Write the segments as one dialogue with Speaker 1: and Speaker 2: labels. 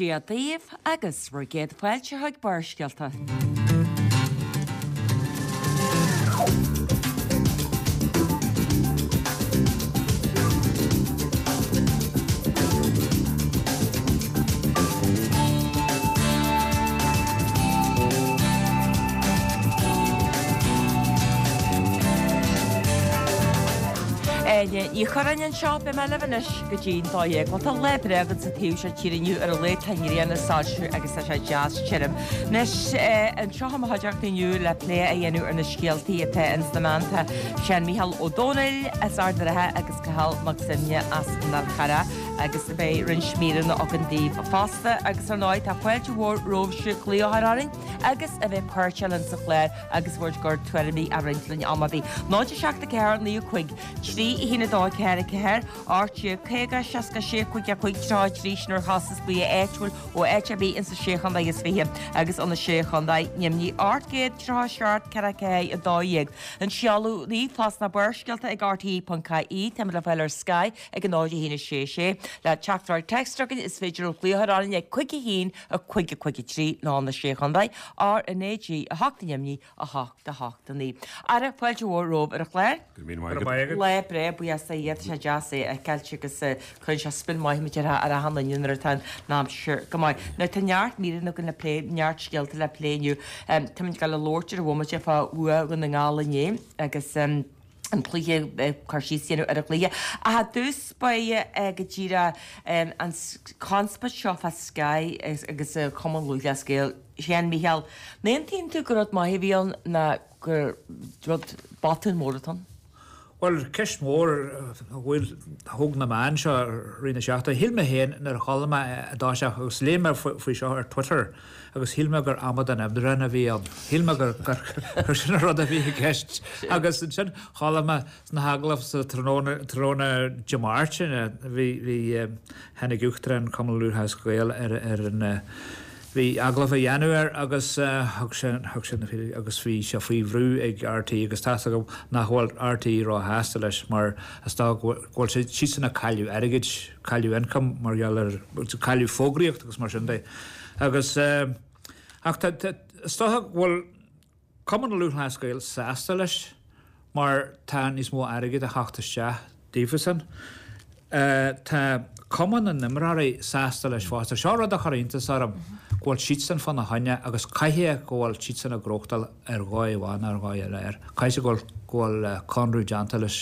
Speaker 1: Dia daoibh agus bhur gcéad fáilte chuig Barrscéalta. Áine Ní Churráin anseo, beidh mé libh anois go dtí'n 12. Bhuel tá lá breá againn sa taobh seo tíre inniu ar a laghad tá an ghrian ag soilsiú agus tá sé deas tirim. Anois anseo i mo chuideachta inniu le plé a dhéanamh ar na scéaltaí atá ins na meáin tá Seán Mícheál Ó Domhnaill as Ard an Rátha agus Cathal Mac Suibhne as an Fhál Carrach agus beidh roinnt míreanna againn daoibh fosta agus ar ndóigh tá fáilte mhór romhaibhse glaoch a chur orainn agus a bheith páirteach linn sa chlár agus bhur gcuid tuairimí a roinnt linn am ar bith. 0 7 4 9 5 3 1 2 4 4 18 50 66 5 5 33 sin ar chostas glao áitiúil ó áit ar bith insa Sé Chontae is Fiche agus ó na Sé Chontae Nimhní 837 4 4 12. An seoladh ríomhphost ná barrscéalta ag rte.ie Táimid le fáil ar Sky ag 0 1 6 6. Le teachtaireacht téacs chugainn is féidir glaoch a chur orainn ag 5 1 5 5 3 nó na Sé Chontae RnaG 8 Nimhní 8 8 9. Ara, fáilte mhór romhaibh ar an chlár.
Speaker 2: Go raibh míle maith agat.
Speaker 1: Lá breá, buíochas do Dhia, tá sé deas é a fheiceáilt agus cuireann sé spion maith muid ar ar achan duine nuair atá an aimsir go maith. Now tá neart míreanna againn le plé, neart scéalta le plé inniu. Táimid ag dul a labhairt ar an bhomaite fá bhua Dhún na nGall inné agus an cluiche, cur síos a dhéanamh ar an chluiche. Ach i dtús báire go díreach an conspóid seo fá Sky agus Cumann Lúthchleas Gael. Seán Mícheál, an aontaíonn tú gur rud maith a bhí ann ná gur rud botún mór atá ann?
Speaker 3: Bhuel, ceist mhór a bhfuil, a thóg na meáin seo i rith na seachtaine. Shíl mé féin nuair a chuala mé i dtosach agus léigh mé faoi seo ar Twitter agus shíl mé gur amadán oibreáin a bhí ann. Shíl mé gur, gur, gur sin an rud a bhí i gceist. Agus ansin chuala mé sna hagallaimh sa tráthnóna, tráthnóna Dé Máirt, bhí, bhí, tháinig Uachtarán Chumann Lúthchleas Gael ar, ar an, Bhí agallamh á dhéanamh air agus thug sé thug sé na fíricí agus bhí sé faoi bhrú ag RTÉ agus tá's agam nach bhfuil RTÉ róshásta leis mar is dócha go bhfuil siad siadsan ag cailleadh airgid, cailleadh income mar gheall ar cailleadh fógraíocht agus mar sin de. Agus ach tá tá is dócha go bhfuil Cumann Lúthchleas Gael sásta leis mar tá níos mó airgid a theacht isteach daofasan. Tá Cumann na n-Imreoirí sásta leis fosta. Seo rud a chuir iontas orm, go bhfuil siadsan fána choinne agus caithfidh go bhfuil siadsan ag gnóthachtáil ar dhóigh amháin nó ar dhóigh eile air. Caithfidh go bhfuil go bhfuil conradh déanta leis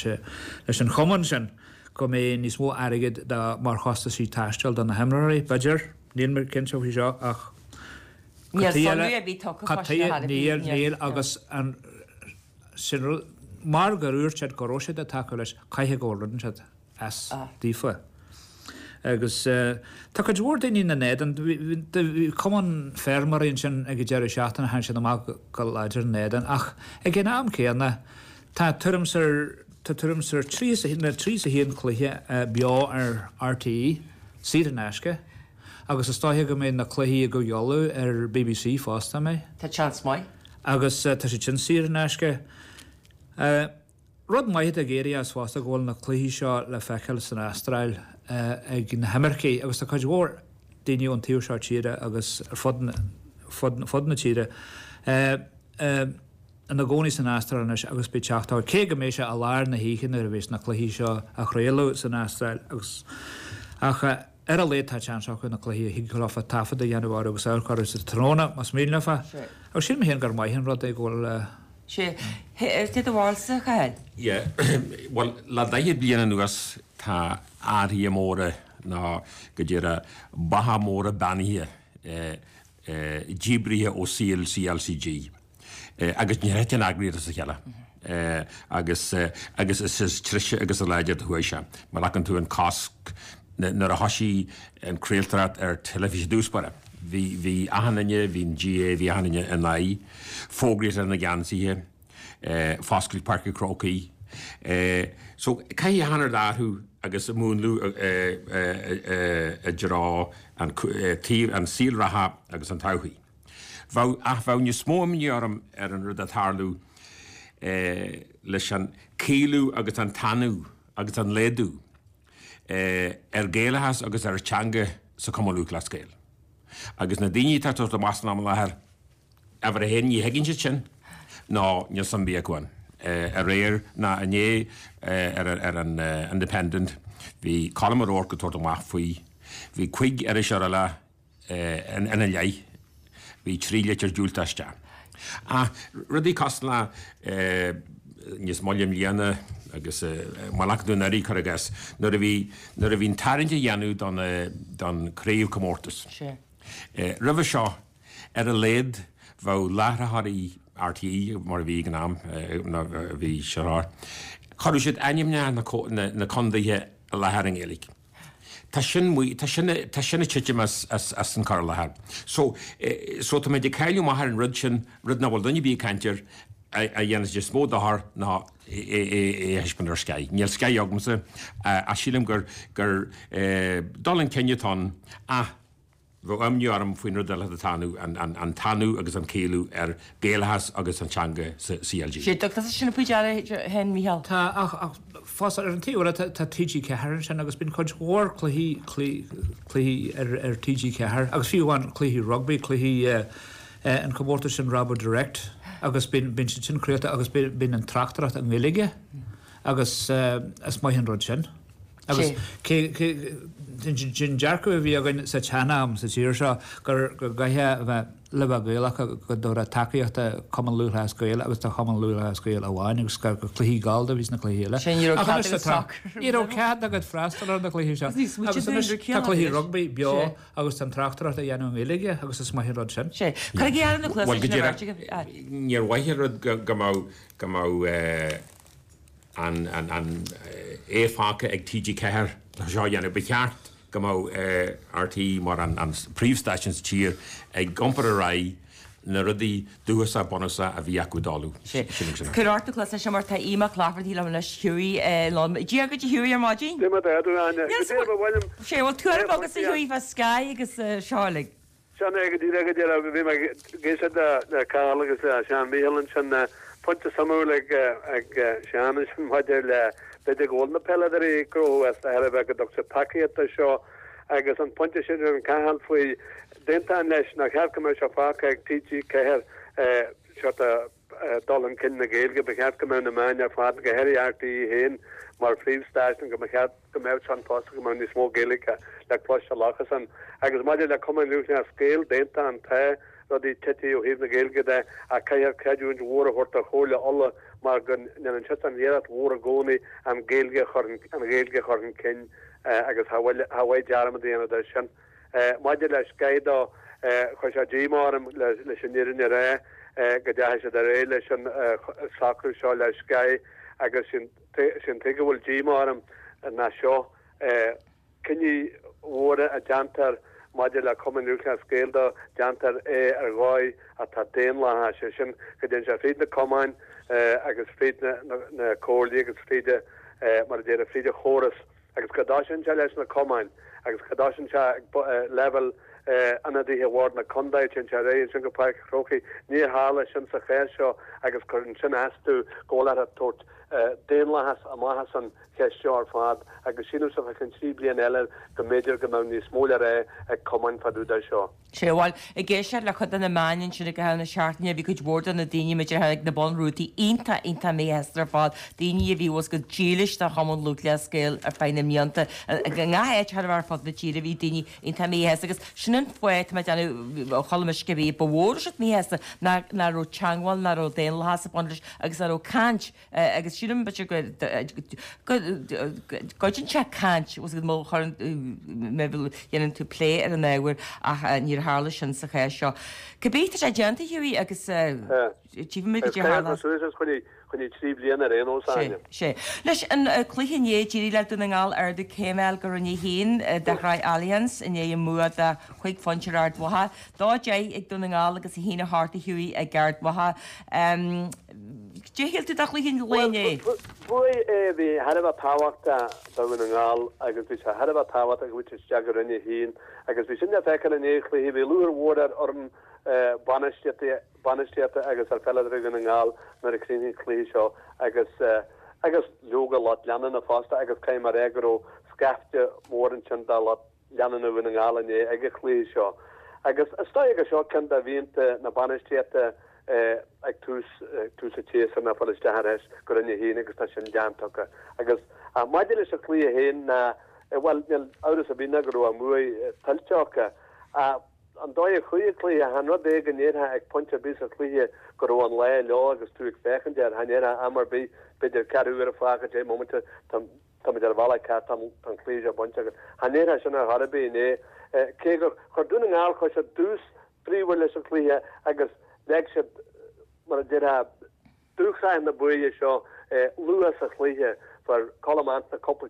Speaker 3: leis an chumann sin go mbeidh níos mó airgid do mar chostaisí taistil do na himreoirí, b'fhéidir. Níl mé cinnte faoi seo ach
Speaker 1: Níl sonraí ar bith tugtha fá sin ar
Speaker 3: Níl, níl agus an, sin rud, mar gur dhúirt siad go raibh siad ag tacú leis, caithfidh go bhfuil rud inteacht as daofa. Agus tá cuid mhór daoine ina n-éadan, bhí cumann feirmeoirí ansin ag an deireadh seachtaine, tháinig siad amach go láidir ina n-éadan ach ag an am céanna tá tuairim 's ar, tá tuairim 's ar 31 cluiche beo ar RTÉ, saor in aisce. Agus is dóiche go mbeidh na cluichí i gCúige Uladh ar bbc fosta, an mbeidh?
Speaker 1: Tá seans maith.
Speaker 3: Agus tá siad sin saor in aisce. Rud maith atá ag éirí as fosta go bhfuil na cluichí seo le feiceáil san Astráil ag na himircigh agus tá cuid mhór daoine ón taobh seo tíre agus ar fud fud na tíre ina gcónaí san Astráil anois agus beidh teacht acu, cé go mbeidh sé i lár na hoíche nuair a bheas na cluichí seo á chraoladh san Astráil agus ach Ar a laghad tá seans acu na cluichí a thig leofa taifead a dhéanamh orthu agus amharc orthu sa tráthnóna más mian leofa. Agus sílim féin gur maith an rud é go bhfuil.
Speaker 1: Sea. Cé do bharúilsa, a Chathail?
Speaker 2: Yeah. Bhuel, le 40 bliain anuas tá athruithe móra nó go díreach beacha móra beannaithe díbrithe ó saol CLCG. Agus níor thit an eagraíocht as a chéile. Agus agus is is treise agus is láidre a chuaigh sé. Má ghlacann tú an cosc nuair a thoisigh an craoltóireacht ar teilifís i dtús báire, bhí bhí achan duine, bhí an GAA, bhí achan duine in aghaidh fógraíocht ar na geansaithe, foscailt Páirc an Chrócaigh. So caithfidh achan rud athrú agus múnlú i dtreo an taobh an saol reatha agus an todhchaí. Bheadh, ach bheadh níos mó imní orm ar an rud atá ag tarlú leis an caolú agus an tanú agus an laghdú ar Gaelachas agus ar teanga sa Chumann Lúthchleas Gael. Agus na daoine atá ag tabhairt amach san am i láthair, uimhir a haon, ní thuigeann siad sin, nó níl suim ar bith acu ann. Aréir, ná inné, ar an Independent, bhí Colm O'Rourke ag tabhairt amach faoi. Bhí cuig iriseoir eile ina leith. Bhí 3 litir diúltach isteach. Ach rudaí cosúil le níos moille i mbliana agus má ghlacann tú anuraidh, cuir i gcás, nuair a bhí, nuair a bhí an tarraingt á dhéanamh don, don craobhchomórtas. Roimhe seo, ar a laghad, bheadh láithreoirí RTÉ, mar a bhí ag an am, nó a bhí sé, chuireadh siad ainmneacha na, na contaetha i láthair i nGaeilge. Tá sin, tá sin, tá sin ag titim as, as, as an cur i láthair. So, so táimid ag cailleadh amach ar an rud sin, rud nach bhfuil duine ar bith ag caint air, a, a dhéanann níos mó dochair ná é, é, é a thaispeáint ar Sky. Níl Sky agamsa, ach sílim gur, gur dul chun cinn atá ann, ach Bheadh imní orm faoin rud eile atá ann, an tanú agus an caolú ar Ghaelachas agus an teanga sa CLG.
Speaker 1: Sé do tusa sin faoi deara féin, Mícheál.
Speaker 3: Tá, ach fosta ar an taobh eile tá TG4 ansin agus bíonn cuid mhór cluichí, cluichí ar TG4 agus fiú amháin cluichí rugbaí, cluichí an comórtas sin Rabo Direct agus bíonn siad sin craolta agus bíonn an tráchtaireacht i nGaeilge agus is maith an rud sin. Agus cé an dearcadh a bhí againn sa tsean-am sa tír seo gur go gcaithfeá a bheith le bheith Gaelach go dtabharfá tacaíocht do Chumann Lúthchleas Gael agus do Chumann Lúthchleas Gael amháin agus gur cluichí gallda a bhí sna cluichí eile.
Speaker 1: Ní raibh cead agat soccer.
Speaker 3: Ní raibh cead agat freastal ar na cluichí seo. Agus anois tá cluichí rugbaí beo agus tá an tráchtaireacht á dhéanamh i nGaeilge agus is maith an rud sin.
Speaker 1: Sé. Cuirigí aire na cluasa
Speaker 2: sin a bheirt agaibh. Níor mhaith an rud go mbeadh go mbeadh an é fágtha ag TG4 seo a dhéanamh. Ba cheart go mbeadh RTÉ mar an príomhstáisiún sa tír ag iompar ar aghaidh na rudaí dúchasach bunúsach a bhí acu d'Uladh.
Speaker 1: Cuir ort na cluasa seo mar tá Aodh Mac Laifeartaigh liom anois Hughie liom. Dia dhuit a Hughie ar maidin.
Speaker 4: Dia duit a Áine. Go dtí ba mhaith liom.
Speaker 1: Sé bhfuil tuairim agat a Hughie fá Sky agus seo uilig.
Speaker 4: Sin é go díreach, go díreach. Bhí mé ag éisteacht le Cathal agus le Seán Mícheál ansin. Pointe suimiúil ag Seán ansin maidir le b'fhéidir go bhfuil na peileadóirí ag gnóthú as de thairbhe go dtug siad tacaíocht do seo agus an pointe sin a rinne Cathal faoi d'aontóinn leis nár cheart go mbeadh sé fágtha ag TG4 sort of dul chun cinn na Gaeilge. Ba cheart go mbeadh na meáin ar fad, go háirithe RTÉ féin mar phríomhstáisiún, go mba cheart go mbeadh san fosta, go mbeadh níos mó Gaeilge le cloisteáil acusan. Agus maidir le Cumann Lúthchleas Gael, d'aontóinn, tá rudaí tite ó thaobh na Gaeilge de ach caithfear creidiúint mhór a thabhairt do Chomhairle Uladh mar go ndéanann siadsan iarracht mhór i gcónaí an Ghaeilge a chur an Ghaeilge a chur chun cinn agus cha mhaith dearmad a dhéanamh de sin. Maidir le Sky dó, chuir sé díomá orm leis an fhírinne a rá go dteachaigh siad ar aghaidh leis an socrú seo le Sky agus sin Sé an tuige a bhfuil díomá orm ná seo, cinní mhóra a déantar maidir le Cumann Lúthchleas Gael dó, déantar é ar dhóigh atá daonlathach, sé sin go dtéann sé fríd na cumainn agus fríd na comhairlí agus fríd, mar a déarfá, fríd an chóras. agus go dtosaíonn sé leis na cumainn agus go dtosaíonn sé ag leibhéal ionadaithe Bhord na Contae, téann sé ar aghaidh ansin go Páirc an Chrócaigh. Níor tharla sin sa chás seo agus cuireann sin as domh go bhfuil orthu tabhairt daonlathas amach as an cheist seo ar fad agus sílimse fá cheann 3 bliana eile go mb'fhéidir go mbeadh níos mó le rá ag cumainn fá dtaobh de seo.
Speaker 1: Sé, bhuel, ag éisteacht le cuid de na meáin ansin i gcaitheamh na seachtaine, bhí cuid mhór de na daoine muid a tháinig na bunrútaí iontach, iontach míshásta ar fad, daoine a bhí bhfuil go dílis do Chumann Lúthchleas Gael ar feadh na mblianta. I ngach áit thar ar fud na tíre bhí daoine iontach míshásta agus sin an fáth, tá mé ag déanamh, chuala mise cibé, ba mhór a raibh siad míshásta nach raibh teangmháil, nach raibh daonlathas ag baint leis agus nach raibh caint Agus sílim, b'fhéidir go gcuidíonn sé caint, má chuireann, má dhéanann tú plé ar an ábhar ach níor tharla sin sa chás seo. Cibé, tá sé déanta, Hughie, agus tchífimid cad é a tharlós.
Speaker 4: Suas is coinnigh 3 bliana ar aon nós, Áine.
Speaker 1: Sé. Leis an cluiche inné, d'éirigh le Dún na nGall ardú céime a fháil go Roinn 1 de Shraith Allianz i ndiaidh a mbua de chúig phointe ar Ard Mhacha. 2-10 ag Dún na nGall agus 1-8 a Hughie ag Ard Mhacha. Cad é shíl tú de chluiche an lae inné?
Speaker 4: Bua é a bhí thar a bheith tábhachtach do Dhún na nGall agus bhí sé thar a bheith tábhachtach go bhfuil isteach i Roinn 1 agus bhí sin le feiceáil i ndiaidh an chluiche. Bhí lúcháir mhór ar fhoireann bainistíochta agus ar pheileadóirí Dhún na nGall nuair a chríochnaigh an cluiche seo agus agus leoga lucht leanúna fosta agus caithfidh mé a rá go raibh scaifte mór ansin de lucht leanúna Dhún na nGall inné ag an chluiche seo. Agus is dóigh gur seo ceann de mhianta na bainistíochta ag tús tús an tséasúir ná fáil isteach ar ais go Roinn 1 agus tá sin déanta acu. Agus maidir leis an chluiche féin ná, bhuel, níl amhras ar bith ná go raibh an bhuaidh tuillte acu. An dóigh a chuaigh an cluiche, chan rud é go ndéarfá ag pointe ar bith sa chluiche go raibh an lá leo agus tú ag féachaint air, cha ndéarfá am ar bith, b'fhéidir ceathrú uaire fágtha, 10 mbomaite, táimid ar an bhealach ceart, tá an cluiche seo bainte againn. Cha ndéarfá sin ar chor ar bith inné. Cé gur chuir Dún na nGall, chuir siad tús bríomhar leis an chluiche agus leag siad, mar a déarfá, Dúshraith na buaidhe seo luath sa chluiche. Fuair Colm Antaine cúpla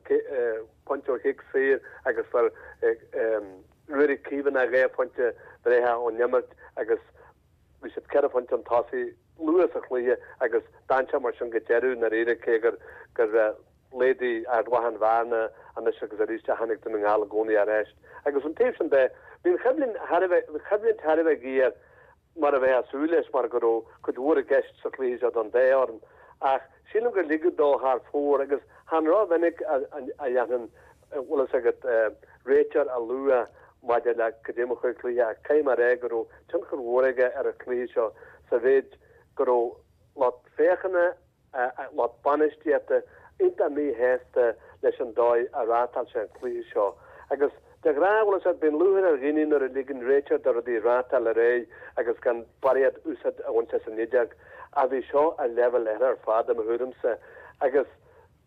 Speaker 4: pointe ó chic saor agus fuair Ruairí Caomhánach 2 phointe breithe ón imirt agus bhí siad 4 phointe chun tosaigh luath sa chluiche agus d'fhan sé mar sin go deireadh i ndáiríre cé gur laghdaigh Ard Mhacha an bhearna anois agus arís ach tháinig Dún na nGall i gcónaí ar ais. Agus ón taobh sin de, bhí an choimhlint thar a bheith géar. mar a bheifeá ag súil leis mar go raibh cuid mhór i gceist sa chluiche seo don dá fhoireann ach sílim gur ligeadh dó thar fóir agus chan rómhinic a dhéanann, bhfuil fhios agat, réiteoir a lua maidir le cad é mar a chuaigh cluiche ach caithfidh mé a rá go raibh tionchar mhór aige ar an chluiche seo sa mhéid go raibh lucht féachana lucht bainistíochta iontach míshásta leis an dóigh a reáchtáil sé an cluiche seo. Agus de ghnáth, bhfuil fhios agat, bíonn lúcháir ar dhaoine nuair a ligeann réiteoir do rudaí reáchtáil ar aghaidh agus gan barraíocht úsáid a bhaint as an fheadóg. Ach bhí seo ar leibhéal eile ar fad, i mo thuairimse. Agus.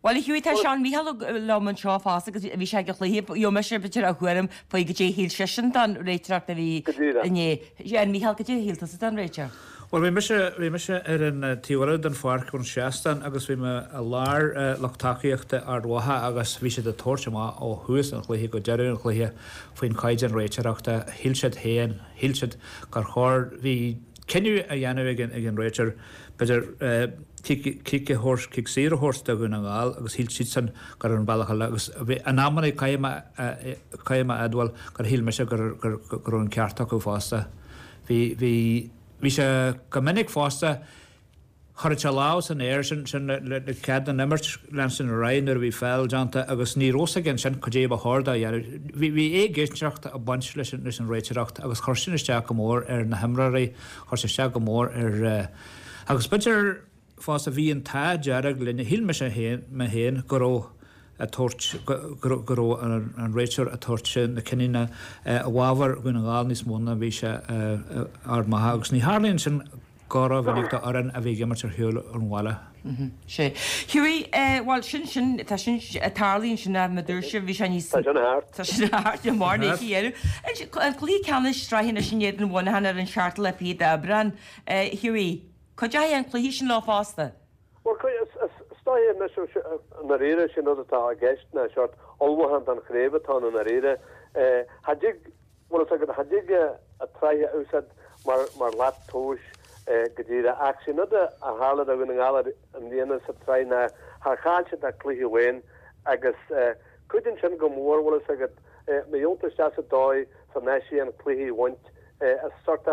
Speaker 1: Bhuel, a Hughie, tá Seán Mícheál liom anseo fosta agus bhí sé ag an chluiche. Gheobhaidh mise, b'fhéidir, a thuairim faoi goidé a shíl seisean den réiteoireacht a bhí inné. A Mhícheál, goidé a shíl tusa den réiteoir?
Speaker 3: Bhuel, bhí mise, bhí mise ar an taobh eile den pháirc ón seastán agus bhí mé i lár lucht tacaíochta Ard Mhacha agus bhí siad ag tabhairt amach ó thús an chluiche go deireadh an chluiche faoin chaighdeán réiteoireachta. Shíl siad féin, shíl siad gur chóir, bhí cinneadh á dhéanamh ag an, ag an réiteoir, b'fhéidir, cic a thabhairt, cic saor a thabhairt do Dhún na nGall agus shíl siadsan gur ar an bhealach eile agus bhí, in amanna caithfidh mé, caithfidh mé a admháil gur shíl mise gur, gur, go raibh an ceart acu fosta. Bhí, bhí, bhí sé go minic fosta, chuirfeadh sé lámh san aer, sin, sin le, le, le cead don imirt leanstan ar aghaidh nuair a bhí feall déanta agus ní raibh fhios aige ansin cad é ba chóir dó a dhéanamh. Bhí, bhí éiginnteacht ag baint leis an, leis an réiteoireacht agus chuir sin isteach go mór ar na himreoirí, chuir sé isteach go mór ar, Agus b'fhéidir fosta, bhí an t-ádh dearg linn, shíl mise féin, mé féin, go raibh ag tabhairt, go raibh an réiteoir ag tabhairt na cinniúna i bhfabhar Dhún na nGall níos mó ná bhí sé Ard Mhacha. Agus ní tharlaíonn sin go rómhinic do fhoireann a bhí ag imirt ar shiúl ón bhaile.
Speaker 1: Sea. Hughie, bhuel, sin, sin, tá sin, tarlaíonn sin ach mar a dúirt sibh, bhí sé níos.
Speaker 4: Tá sin thart.
Speaker 1: Tá sin thart, le mar ní dhéanamh. An cluiche ceannais sraithe anois in éadan Mhuineacháin ar an seachtú lá fichead d'Aibreán. Hughie, cuideoidh an cluiche sin leo fosta?
Speaker 4: Bhuel, is dóigh anois, i ndáiríre, sin rud atá i gceist ná seort ullmhúchán don chraobh atá ann i ndáiríre. Cha dtig, bhfuil fhios agat, cha dtig an tsraith a úsáid mar mar shlat tomhais go díreach. Ach sin rud a tharla do Dhún na nGall i mbliana sa tsraith ná char chaill siad ach cluiche amháin agus cuidíonn sin go mór, bhfuil fhios agat, má gheobhann tú isteach sa dóigh san áise an cluiche a bhaint. Is sort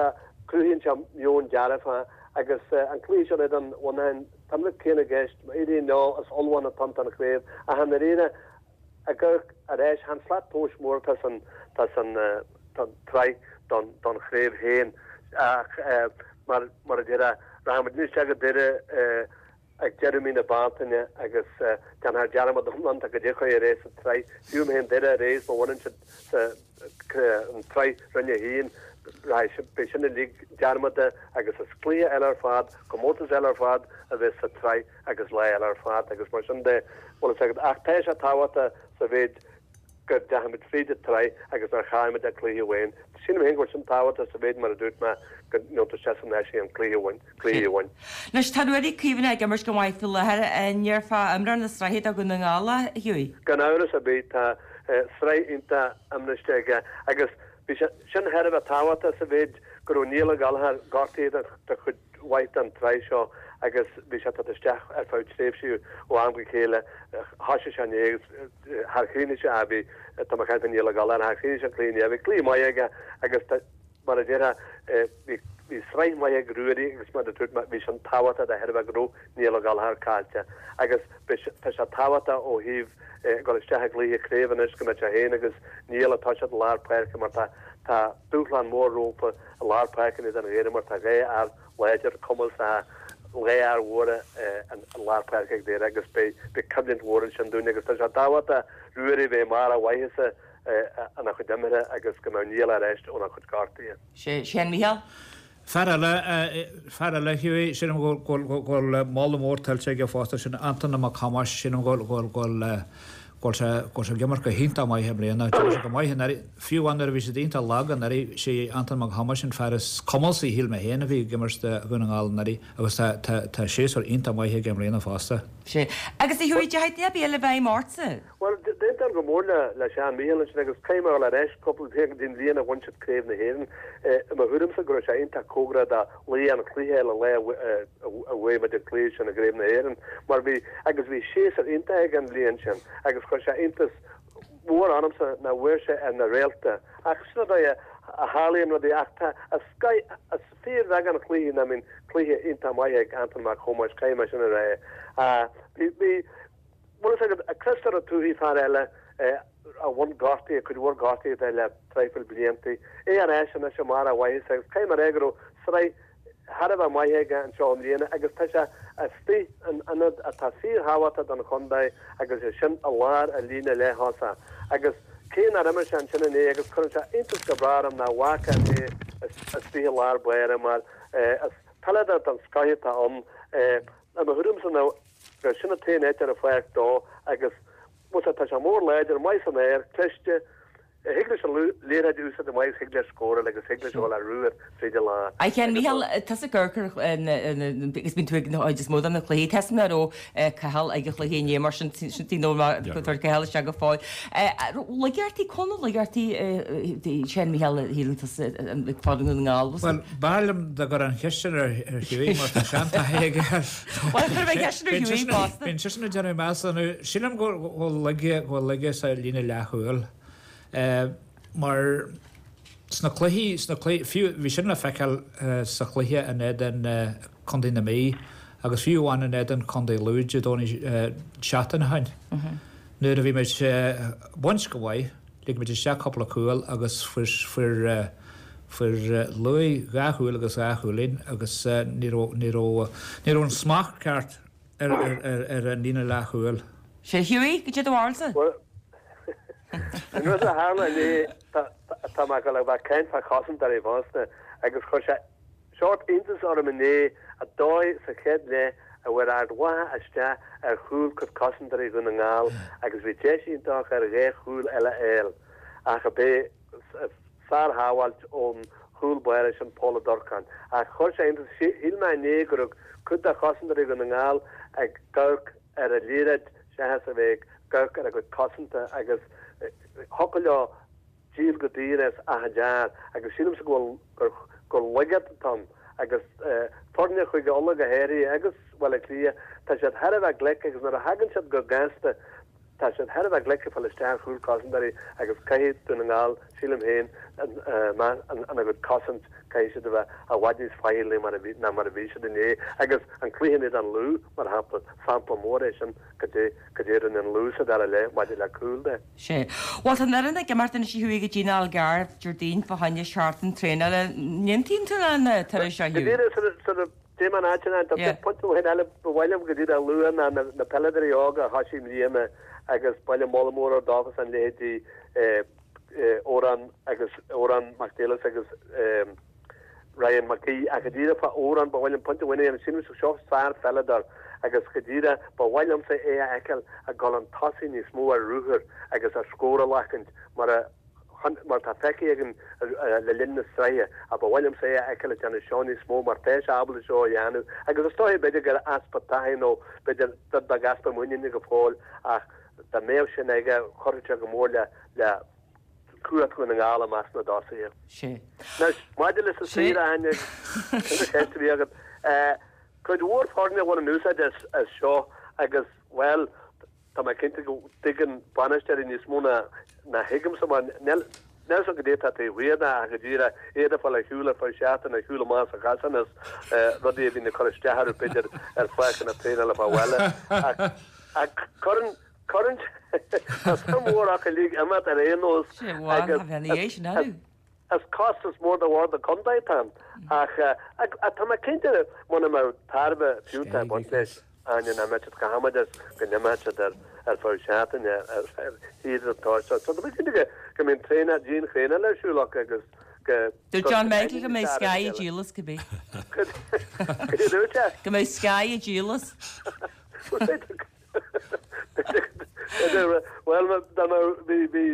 Speaker 4: cruthaíonn sé meon dearfach agus an cluiche seo in éadan Mhuineacháin, tá an rud céanna i gceist, má éiríonn leo is ullmhúchán atá ann don chraobh ach i ndáiríre ag amharc ar ais, chan slat tomhais mór atá san tá san tsraith don don chraobh féin ach mar mar a déarfá rachaimid isteach go Doire ag deireadh mí na Bealtaine agus déanfar dearmad iomlán de goidé a chuaigh ar aghaidh sa tsraith. Fiú má théann Doire ar aghaidh is má bhaineann siad an tsraith Roinn 1, rachaidh, beidh sin uilig dearmadta agus is cluiche eile ar fad, comórtas eile ar fad a bheas sa tsraith agus lá eile ar fad agus mar sin de, bhfuil fhios agat. Ach tá sé tábhachtach sa mhéid go ndeachaigh muid fríd an tsraith agus nár chaill muid ach cluiche amháin. Sílim féin go bhfuil sin tábhachtach sa mhéid, mar a dúirt mé, go ndeachaigh tú isteach san áise an cluiche amháin, cluiche amháin.
Speaker 1: Anois, tá Ruairí Caomhánach ag imirt go maith faoi láthair. An ndéarfá imreoir na sraithe do Dhún na nGall é, a Hughie?
Speaker 4: Gan amhras ar bith, tá sraith iontach imriste aige agus bhí sé sin thar a bheith tábhachtach sa mhéid go raibh Niall Ó Gallchóir gortaithe do chuid mhaith den tsraith seo agus bhí sé ag teacht isteach ar feadh tréimhsí ó am go chéile. Thoisigh sé inné agus char chríochnaigh sé, bhí, tá mé ag caint faoi Niall Ó Gallchóir, char chríochnaigh sé an cluiche inné. Bhí cluiche maith aige agus mar a déarfá, bhí, bhí sraith maith ag Ruairí agus mar a dúirt mé, bhí sin tábhachtach de thairbhe go raibh Niall Ó Gallchóir caillte agus beidh, tá sé tábhachtach ó thaobh dul isteach i gcluiche craoibhe anois go mbeidh sé féin agus Niall ag toiseacht i lár páirce mar tá, tá. Tá dúshlán mór rompu i lár páirce in éadan Dhoire mar tá 2 fhear láidir, cumasach, 2 fhear mhóra i lár páirce ag Doire agus beidh coimhlint mhór ansin dúinn agus tá sé tábhachtach Ruairí a bheith i mbarr a mhaitheasa ina chuid imeartha agus go mbeadh Niall ar ais óna chuid gortuithe.
Speaker 1: Sé sin Mícheál.
Speaker 3: Fear eile, fear eile, Hughie, sílim go bhfuil moladh mór tuillte aige fosta, sin Antaine Mac Thomáis, sílim go bhfuil go bhfuil sé go bhfuil sé ag imirt go hiontach maith i mbliana. D'imir sé go maith anuraidh, fiú amháin nuair a bhí siad iontach lag anuraidh, sé Antaine Mac Thomáis an fear is cumasaí, shíl mé féin, a bhí ag imirt do Dhún na nGall anuraidh agus tá tá tá séasúr iontach maith aige i mbliana fosta.
Speaker 1: Sé. Agus a Hughie, deachaigh duine ar bith eile i bhfeidhm ortsa?
Speaker 4: Bhuel, d'aontóinn go mór le Seán Mícheál ansin agus caithfidh mé a dhul ar ais cúpla bliain go dtí an bhliain a bhain siad Craobh na hÉireann. I mo thuairimse go raibh sé iontach cóngarach do laoi an chluiche le lá a bhuaigh muid an cluiche sin i gCraobh na hÉireann mar bhí agus bhí séasúr iontach aige an bhliain sin agus chuir sé iontas mór ormsa nach bhfuair sé ar na réalta ach sin an dóigh a tharlaíonn rudaí ach tá is fíorbheagán cluichí nach mbíonn cluiche iontach maith ag Antaine Mac Thomáis caithfidh mé sin a rá. Bhí Bhfuil fhios agat, Christopher Ó Tuathaigh, fear eile a bhain gortuithe, cuid mhór gortuithe le traidhfil bliantaí, é ar ais anois i mbarr a mhaitheasa agus caithfidh mé a rá go raibh sraith thar a bheith maith aige anseo i mbliana agus tá sé istigh in ionad atá fíorthábhachtach don chontae agus é sin i lár an líne leath-thosach agus cé nár imir sé ansin inné agus cuireann sé iontas go breá orm nach bhfaca mé istigh i lár báire mar is peileadóir den scoth atá ann i mo thuairimse ná gur sin an t-aon áit ar an pháirc dó agus bhuel tá sé mór láidir, maith san aer, cliste, thig leis an liathróid a úsáid go maith agus thig leis scóráil agus thig leis a dhul ar ruathar tríd an lár.
Speaker 1: A Sheáin Mhícheál, tusa ag amharc ar agus bíonn tú ag an chuid is mó de na cluichí, tá a fhios agam nach raibh Cathal ag an chluiche inné mar sin sin nó mar tabhair Cathal isteach go fóill. Laigeartaí, cá bhfuil na laigeartaí Sheáin Mhícheál a shíleann tusa ag foireann Dhún na nGall?
Speaker 3: Bhuel, b'fhearr liom dá gcuirfeá an cheist sin ar Hughie mar tá seantaithí aige air.
Speaker 1: Bhuel, chuir mé ceist ar Hughie fosta.
Speaker 3: Bíonn seisean ag déanamh measúnú. Sílim go bhfuil laige, go bhfuil laige sa líne leathchúil. Mar sna cluichí, sna cluichí, fiú, bhí sin le feiceáil sa chluiche in éadan Contae na Mí agus fiú amháin in éadan Contae Lú Dé Domhnaigh seachtain ó shin. Nuair a bhí muid ag baint go maith, Lig muid isteach cúpla cúl agus fuair fuair Lú dhá chúl agus dhá chúilín agus ní raibh ní raibh ní raibh an smacht ceart ar ar ar ar an líne leathchúil.
Speaker 1: Sea, Hughie, goidé do bharúilsa.
Speaker 4: Bhuel, an rud a tharla inné, tá mé ag dul a bheith ag caint fá chosantóirí fosta agus chuir sé Seort iontas orm inné an dóigh sa chéad leath a bhfuair Ard Mhacha isteach ar chúl cuid cosantóirí Dhún na nGall agus bhí deis iontach ar dhá chúl eile a fháil ach ab é sár-shábháilt ón chúl báire sin Pól Ó Durcáin. Ach chuir sé iontas, shíl mé inné go raibh cuid de chosantóirí Dhún na nGall ag amharc ar an liathróid seachas a bheith ag amharc ar a gcuid cosanta agus thiocfadh leo díol go daor as achan fhear agus sílimse go bhfuil gur gur laigeacht atá ann agus foirne Chúige Uladh go háirithe agus Baile Átha Cliath tá siad thar a bheith glic agus nuair a thagann siad go gasta tá siad thar a bheith glic ag fáil isteach ar chúl cosantóirí agus caithfidh Dún na nGall sílim féin ina gcuid cosaint caithfidh siad a bheith i bhfad níos faichillí mar a bhí ná mar a bhí siad inné agus an cluiche in éadan Lú mar shampla sampla mór é sin goidé goidé a rinne an Lú sa dara leath maidir le cúil de.
Speaker 1: Sea. Bhuel, tá an fhoireann ag imeacht anois a Hughie go dtí an Algarve Déardaoin fá choinne seachtain traenála. An aontaíonn tú lena turas seo,
Speaker 4: Go
Speaker 1: Hugh?
Speaker 4: díreach sula dtéim an áit sin, tá pointe amháin eile ba mhaith liom go díreach a lua ná na peileadóirí óga a thoisigh i mbliana agus ba mhaith liom moladh mór a thabhairt dófa san leithéidí Odhrán agus Odhrán Mac Niallais agus Ryan McGee ach go díreach fá Odhrán ba mhaith liom pointe amháin a dhéanamh sílim seo sár-pheileadóir agus go díreach ba mhaith liomsa é a fheiceáil ag dul chun tosaigh níos mó ar ruathar agus ar scór a ghlacaint mar a mar atá feicthe againn le linn na sraithe ach ba mhaith liomsa é a fheiceáil ag déanamh seo níos mó mar tá sé ábalta seo a dhéanamh agus is dóigh b'fhéidir gur easpa taithí nó b'fhéidir rud beag easpa muiníne go fóill ach dá mbeadh sin aige chuirfeadh sé go mór le le cumhacht Dhún na nGall i measc na dtosaithe.
Speaker 1: Sea.
Speaker 4: Anois, maidir leis an
Speaker 1: Sea.
Speaker 4: saoire, a Áine, sin an cheist a bhí agat. Cuid mhór foirne a bhaineann úsáid as as seo agus, bhuel, tá mé cinnte go dtuigeann bainisteoirí níos mó ná ná thuigimse mar níl níl a fhios agam goidé atá taobh thiar de ach go díreach iad ag fáil ar shiúl ar feadh seachtaine, ar shiúl amach as an chasán is rudaí a bhíonn ag cur isteach orthu b'fhéidir ar pháirceanna traenála fá bhaile. Ach ach cuireann cuireann tá suim mhór acu uilig imeacht ar aon nós
Speaker 1: Sé, bhuel,
Speaker 4: agus
Speaker 1: tá bheith ina dhiaidh sin, acu.
Speaker 4: Is costas mór do Bhord an Chontae atá ann ach tá mé cinnte muna mbeadh tairbhe fiúntach ag baint leis, Áine, nach mbeadh siad chomh hamaideach is go n-imeodh siad ar ar feadh seachtaine ar shaoire an tSórt seo. So tá mé cinnte go go mbíonn traenáil, dianthraenáil ar siúl acu agus
Speaker 1: go Dúirt John Michael go mbeidh Sky ag díol as cibé.
Speaker 4: Cad a dúirt sé?
Speaker 1: Go mbeidh Sky ag díol as.
Speaker 4: Bhuel, b'fhéidir b'fhéidir bhuel dá mbeadh bhí bhí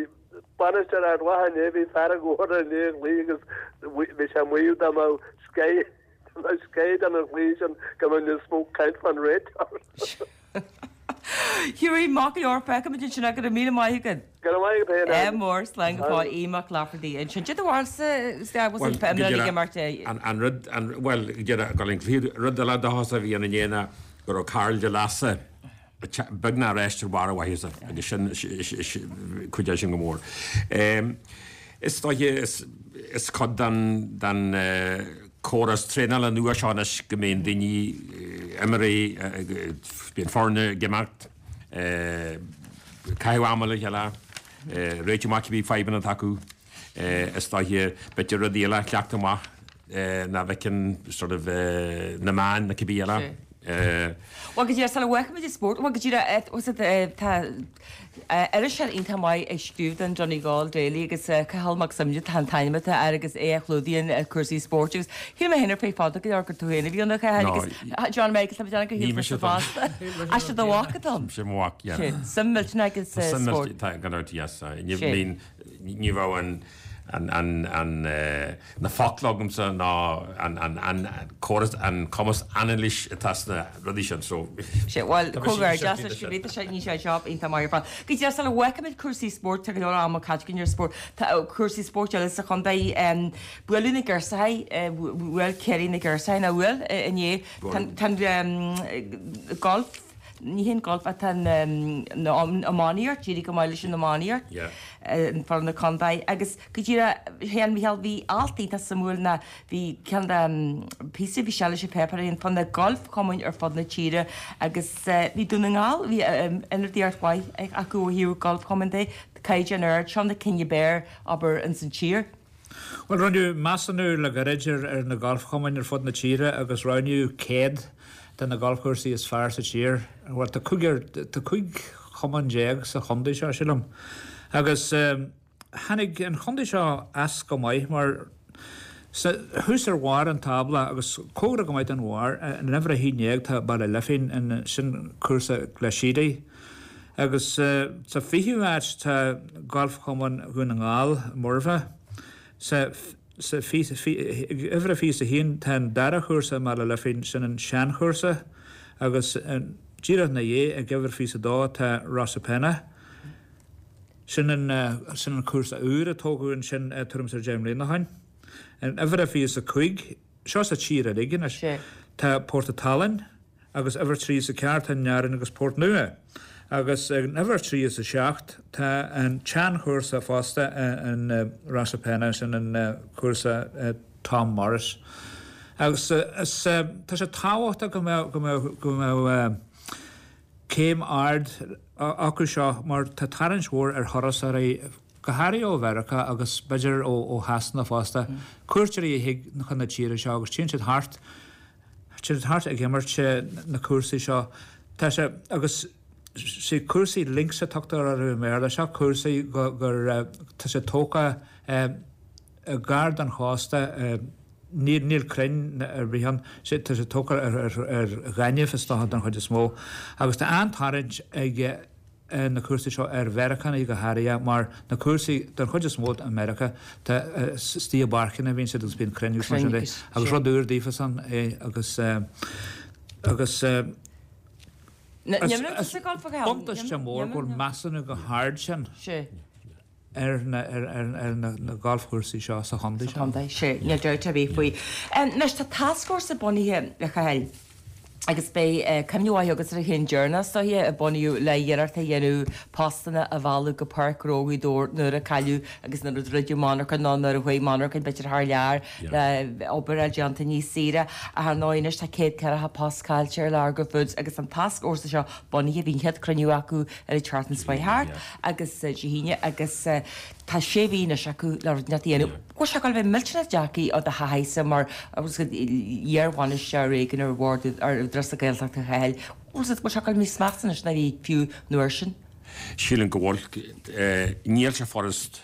Speaker 4: Bainisteoir Ard Mhacha inné, bhí fearg mhór air i ndiaidh an chluiche agus bhí sé ag maíomh dá mbeadh Sky dá mbeadh Sky don an chluiche sin go mbeadh níos mó caint fán réiteoir.
Speaker 1: Hughie, maith go leor, feicfimid ansin é, go raibh míle maith agat.
Speaker 4: Go raibh maith agat féin,
Speaker 1: Ádh Áine. mór, slán go fóill, Aodh Mac Laifeartaigh ansin. Cad é do bharúilsa, Bhuel, go
Speaker 2: díreach, an, an rud, an, bhuel, go díreach, go an rud eile dóchasach a bhí ann inné ná go raibh Karl de Lasa, beagnach ar ais ar bharr a mhaitheasa agus sin cuid sin go mór. Is dóiche is cuid den córas traenála nua seo anois go mbíonn daoine, imreoirí, bíonn foirne ag imeacht, caitheamh ama le chéile, réiteach amach cibé fadhbanna atá acu. Is dóiche, b'fhéidir rudaí eile a chleachtadh amach nach bhfeiceann sort of na meáin nó cibé eile.
Speaker 1: Bhuel, go díreach, sula bhfágfaimid an spórt, bhuel, go díreach, tá iriseoir iontach maith ag scríobh don Donegal Daily agus Cathal Mac Suibhne an t-ainm atá air agus é a chlúdaíonn cúrsaí spóirt agus shíl mé féin ar feadh fada go leor gur tú féin a bhí ann a Chathail agus John Michael, tá mé ag déanamh gur shíl tusa fosta. Ach sé do mhac atá ann.
Speaker 2: Sé mo mhac, yeah.
Speaker 1: Sé, suim millteanach aige sa spórt.
Speaker 2: Tá, gan dabht, yes. Ní, Ní bheadh an, an, an, na focla agamsa ná an, an, an córas, an cumas anailís atá sna rudaí sin so.
Speaker 1: Sé, bhuel, comhghairdeas leis go bhféadfadh sé, ní sé job iontach maith ar fad. Go díreach sula bhfágfaimid cúrsaí spóirt, tá go leor ama caite againn ar spórt, tá cúrsaí spóirt eile sa chontae, buaileadh na girseachaí, bhuail Ciarraí na girseachaí, nó bhuail inné, tá, tá an golf, Ní hé an golf ach tá an iománaíocht, d'éirigh go maith leis an iománaíocht, foireann na contae agus go díreach, a Sheáin Mhichíl, bhí alt iontach suimiúil ná bhí ceann de píosa bhí sé leis an pháipéar féin fá na galfchumainn ar fud na tíre agus bhí Dún na nGall, bhí ionadaíocht mhaith acu ó thaobh galfchumainn de, caighdeán ard, seo na cinn ab fhearr, abair, ins an tír.
Speaker 3: Bhuel, rinneadh measúnú le gairid ar na galfchumainn ar fud na tíre agus roghnaíodh 100 de na galfchúrsaí is fearr sa tír. Bhuel, tá cúigear, tá 15 chumann sa chontae seo, sílim. Agus tháinig an chontae seo as go maith mar sa, thuas ar bharr an tábla agus cóngarach go maith don bharr, in uimhir 11 tá Baile Lifín, sin cúrsa Glashedy. Agus sa 20ú áit tá Galfchumann Dhún na nGall, Murvagh. Sa uimhir a 21 tá an dara chúrsa i mBaile Lifín, sin an seanchúrsa, agus díreach ina dhiaidh ag uimhir 22 tá Rosapenna. Sin an sin an cúrsa úr a tógadh ansin tuairim is ar 10 mbliana ó shin. In uimhir a 25, seo sa tír uilig anois, tá Port an tSalainn. Agus uimhir 34 tá Nearáin agus Port Nua. Agus ag an uimhir 37 tá an tseanchúrsa fosta in Rosapenna, sin an cúrsa Tom Morris. Agus is tá sé tábhachtach go mbeadh go mbeadh go mbeadh céim ard acu seo mar tá tarraingt mhór ar thurasóirí go háirithe ó Mheiriceá agus b'fhéidir ó Shasana fosta, cuairteoirí a thig chun na tíre seo agus téann siad thart Téann siad thart ag imirt na cúrsaí seo. Tá sé, agus sé cúrsaí links a tugtar orthu i mBéarla, seo cúrsaí go, gur, tá sé tógtha gar don chósta, níl, níl crainn ar bith ann, sé, tá sé tógtha ar, ar, ar ghaineamh is dócha don chuid is mó. Agus tá an-tarraingt ag na cúrsaí seo ar Mheiriceánaigh go háirithe mar na cúrsaí den chuid is mó i Meiriceá tá istigh i bpáirceanna a bhíonn siad agus bíonn crainn agus mar sin de agus rud úr daofasan é agus agus is buntáiste mór go bhfuil measúnú chomh hard sin. ar na galfchúrsaí seo sa chontae
Speaker 1: seo. Sa chontae, sea, níl dabht ar bith faoi. Anois, tá tascfhórsa bunaithe, a Chathail, agus beidh cuimhne mhaith agat ar an cheann deireanach, is dóiche, a bunaíodh le iarracht a dhéanamh postanna a mhealladh go Páirc Ghnó Ghaoth Dobhair nuair a cailleadh agus nuair a druideadh monarcha nó nuair a chuaigh monarchain b'fhéidir thar lear le obair a fháil déanta níos saoire. Ach ar ndóigh anois tá 140 post caillte ar Largo Foods agus an tascfhórsa seo bunaithe, bhí an chéad cruinniú acu ar an tseachtain seo thart. agus Dé hAoine agus. Tá sé mhí anois acu le rud inteacht a dhéanamh. Bhfuil sé ag dul a bheith millteanach deacair do thaithí-sa mar iar-bhainisteoir éigin ar bhord ar Údarás na Gaeltachta a Chathail. Bhfuil sé ag dul níos measa anois ná bhí fiú an uair sin?
Speaker 2: Sílim go bhfuil. Níl sé furast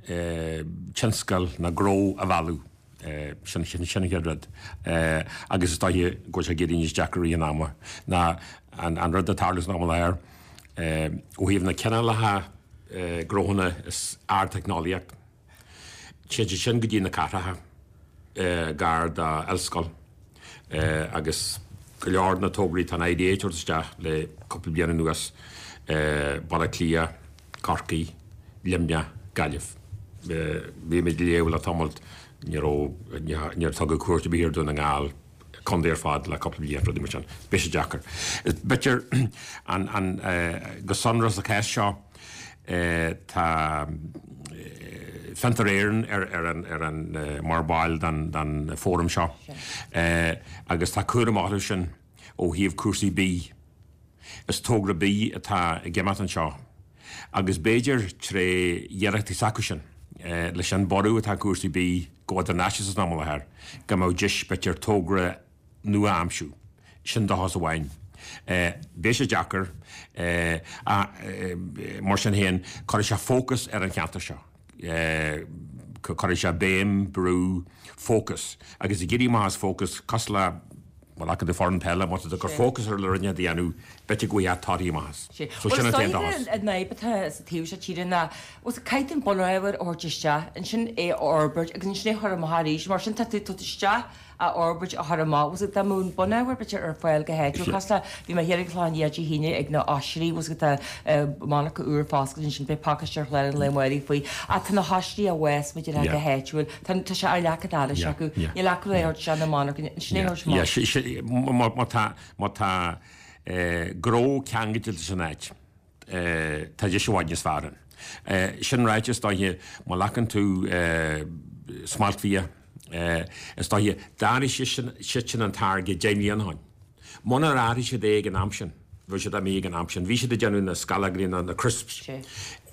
Speaker 2: tionscal ná gnó a mhealladh. Sin an chéad rud. Agus is dóiche go bhfuil sé ag éirí níos deacra i rith an ama ná an rud atá ag tarlú san am i láthair ó thaobh na cineálacha gnóthanna is ardteicneolaíocht. Téann siad sin go dtí na cathracha gar do ollscoil agus go leor de na tograí atá an IDA ag tabhairt isteach le cúpla bliain anuas, Baile Átha Cliath, Corcaigh, Luimneach, Gaillimh. Bhí mé ag léamh le tamall, ní raibh, níor tugadh cuairt ar bith ar Dhún na nGall, contae ar fad le cúpla bliain, rudaí mar sin. Beidh sé deacair. B'fhéidir an, an, go sonrach sa chás seo, tá Fiontar Éireann ar, ar an, ar an, mar bhall den, den fóram seo agus tá cúram orthu sin ó thaobh cúrsaí bídh. Is togra bídh atá ag imeacht anseo agus b'fhéidir tré iarrachtaí s'acu sin, leis an borradh atá cúrsaí bídh go idirnáisiúnta san am i láthair, go mbeadh deis b'fhéidir togra nua a aimsiú. Sin dóchas amháin. Beidh sé deacair ach mar sin féin cuirfidh sé fócas ar an cheantar seo. Cuirfidh sé béim, brú, fócas agus ag éirí amach as fócas cosúil le bhuel acu do foireann peile, má tá tú ag cur fócas ar le rud a dhéanamh, b'fhéidir go bhfaighfeá torthaí amach as.
Speaker 1: So sin an t-aon dóchas. An fhadhb atá sa taobh seo tíre ná caithfidh tú an bunábhar a thabhairt isteach, ansin é a fhorbairt agus ansin é a chur amach arís. Mar sin tá tú ag tabhairt isteach a fhorbairt a chur amach. Bhfuil dá mbeadh an bunábhar b'fhéidir ar fáil go háitiúil, cosúil le, bhí mé thiar ag an Chlochán Liath Dé hAoine ag na oisrí, bhfuil tá monarcha úr foscailte ansin, beidh pacáiste ar chlár an lae amárach faoi, ach tá na hoisrí á bhfás muid ar go háitiúil, tá tá sé ar leac an dorais acu, níl acu le thabhairt isteach na monarcha, sin é a thabhairt
Speaker 2: amach. Má tá, má tá gnó ceangailte leis an áit, tá deis i bhfad níos fearr ann. Sin ráite, is dóiche, má ghlacann tú smaltbhia, is dóiche, d'athraigh siadsan an táirge 10 mbliana ó shin. Munar athraigh siad é ag an am sin, bheadh siad imithe ag an am sin. Bhí siad ag déanamh na scallógaí, na crisps.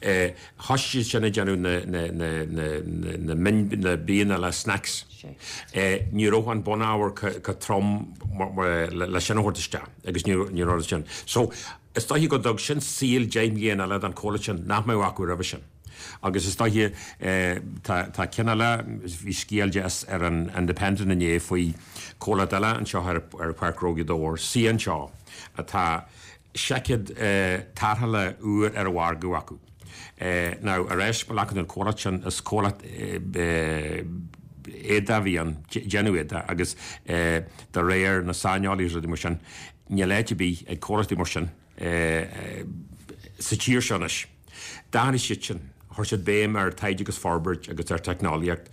Speaker 2: Thosaigh siad sin ag déanamh na na bianna eile, snacks. Ní raibh an bunábhar chomh trom le sin a thabhairt isteach agus ní raibh sin. So, Is dóiche go dtug sin saol 10 mbliana eile don chomhlacht sin nach mbeadh acu roimhe sin. Agus is dóiche, tá, tá ceann eile, bhí scéal deas ar an Independent inné faoi chomhlacht eile anseo ar, ar Pháirc Ghnó Ghaoth Dobhair, Sea Anseo, atá seaicéad tarrthála úr ar an mhargadh acu. Now, ar ais, má ghlacann tú an comhlacht sin, is comhlacht éadaí a bhí ann, déanamh éadaí, agus de réir na saineolaithe is rudaí mar sin, Níl áit ar bith ag comhlachtaí mar sin sa tír seo anois. D'athraigh siad sin. Chuir siad béim ar taighde agus forbairt agus ar teicneolaíocht.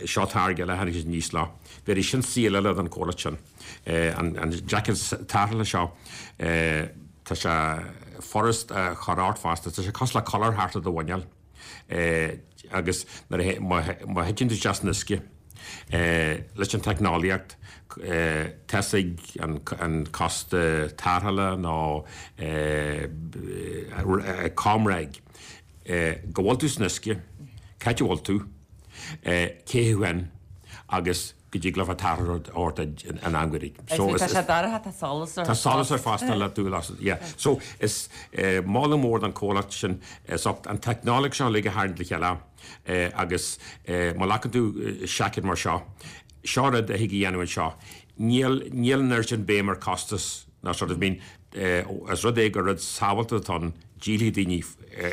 Speaker 2: Seo táirge eile a tháinig siad aníos leo. Bhéarfaidh sin saol eile don chomhlacht sin. An seaicéad tarrthála seo, tá sé furast a chur ort fosta. Tá sé cosúil le collar thart ar do mhuineál. Agus nuair a, má thiteann tú isteach san uisce, leis an teicneolaíocht, tá a fhios ag an cósta tarrthála nó ComReg go bhfuil tú san uisce, cá háit a bhfuil tú, cé thú féin agus go dtig leofa tarrtháil a thabhairt duit in am gairid.
Speaker 1: So is. Tá sé dorcha, tá solas
Speaker 2: air. Tá solas air fosta le dúil as, yeah. So is moladh mór don chomhlacht sin as ucht an teicneolaíocht seo uilig a tharraingt le chéile agus má ghlacann tú seaicéad mar seo, seo rud a thig a dhéanamh anseo. Níl, níl an oiread sin béim ar costas ná sort of, I mean, is rud é gur rud sábháilte atá ann, díolfaidh daoine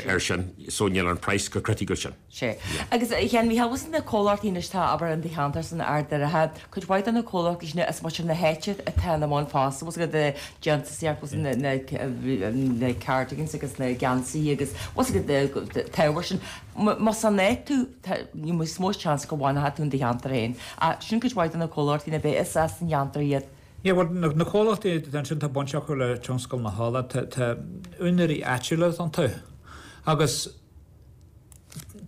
Speaker 2: air sin so níl an price chomh criticiúil sin.
Speaker 1: Sea. Agus a Sheáin, Mhícheáil, bhfuil na comhlachtaí anois atá, abair, in do cheantar san Ard Oirthear, cuid mhaith de na comhlachtaí sin is muintir na háite atá ina mbun fosta, bhfuil a fhios agat, déantúsaíocht, bhfuil a fhios agat, na cardigans agus na geansaithe agus bhfuil a fhios agat, an t-ábhar sin. Más as an áit tú, tá níos mó seans go bhfanfaidh tú in do cheantar féin. Ach sin cuid mhaith de na comhlachtaí na bith is as an gceantar iad.
Speaker 3: Yeah, bhuel, na comhlachtaí atá ansin, tá baint acu le tionscal na hola, tá úinéirí áitiúla iontu agus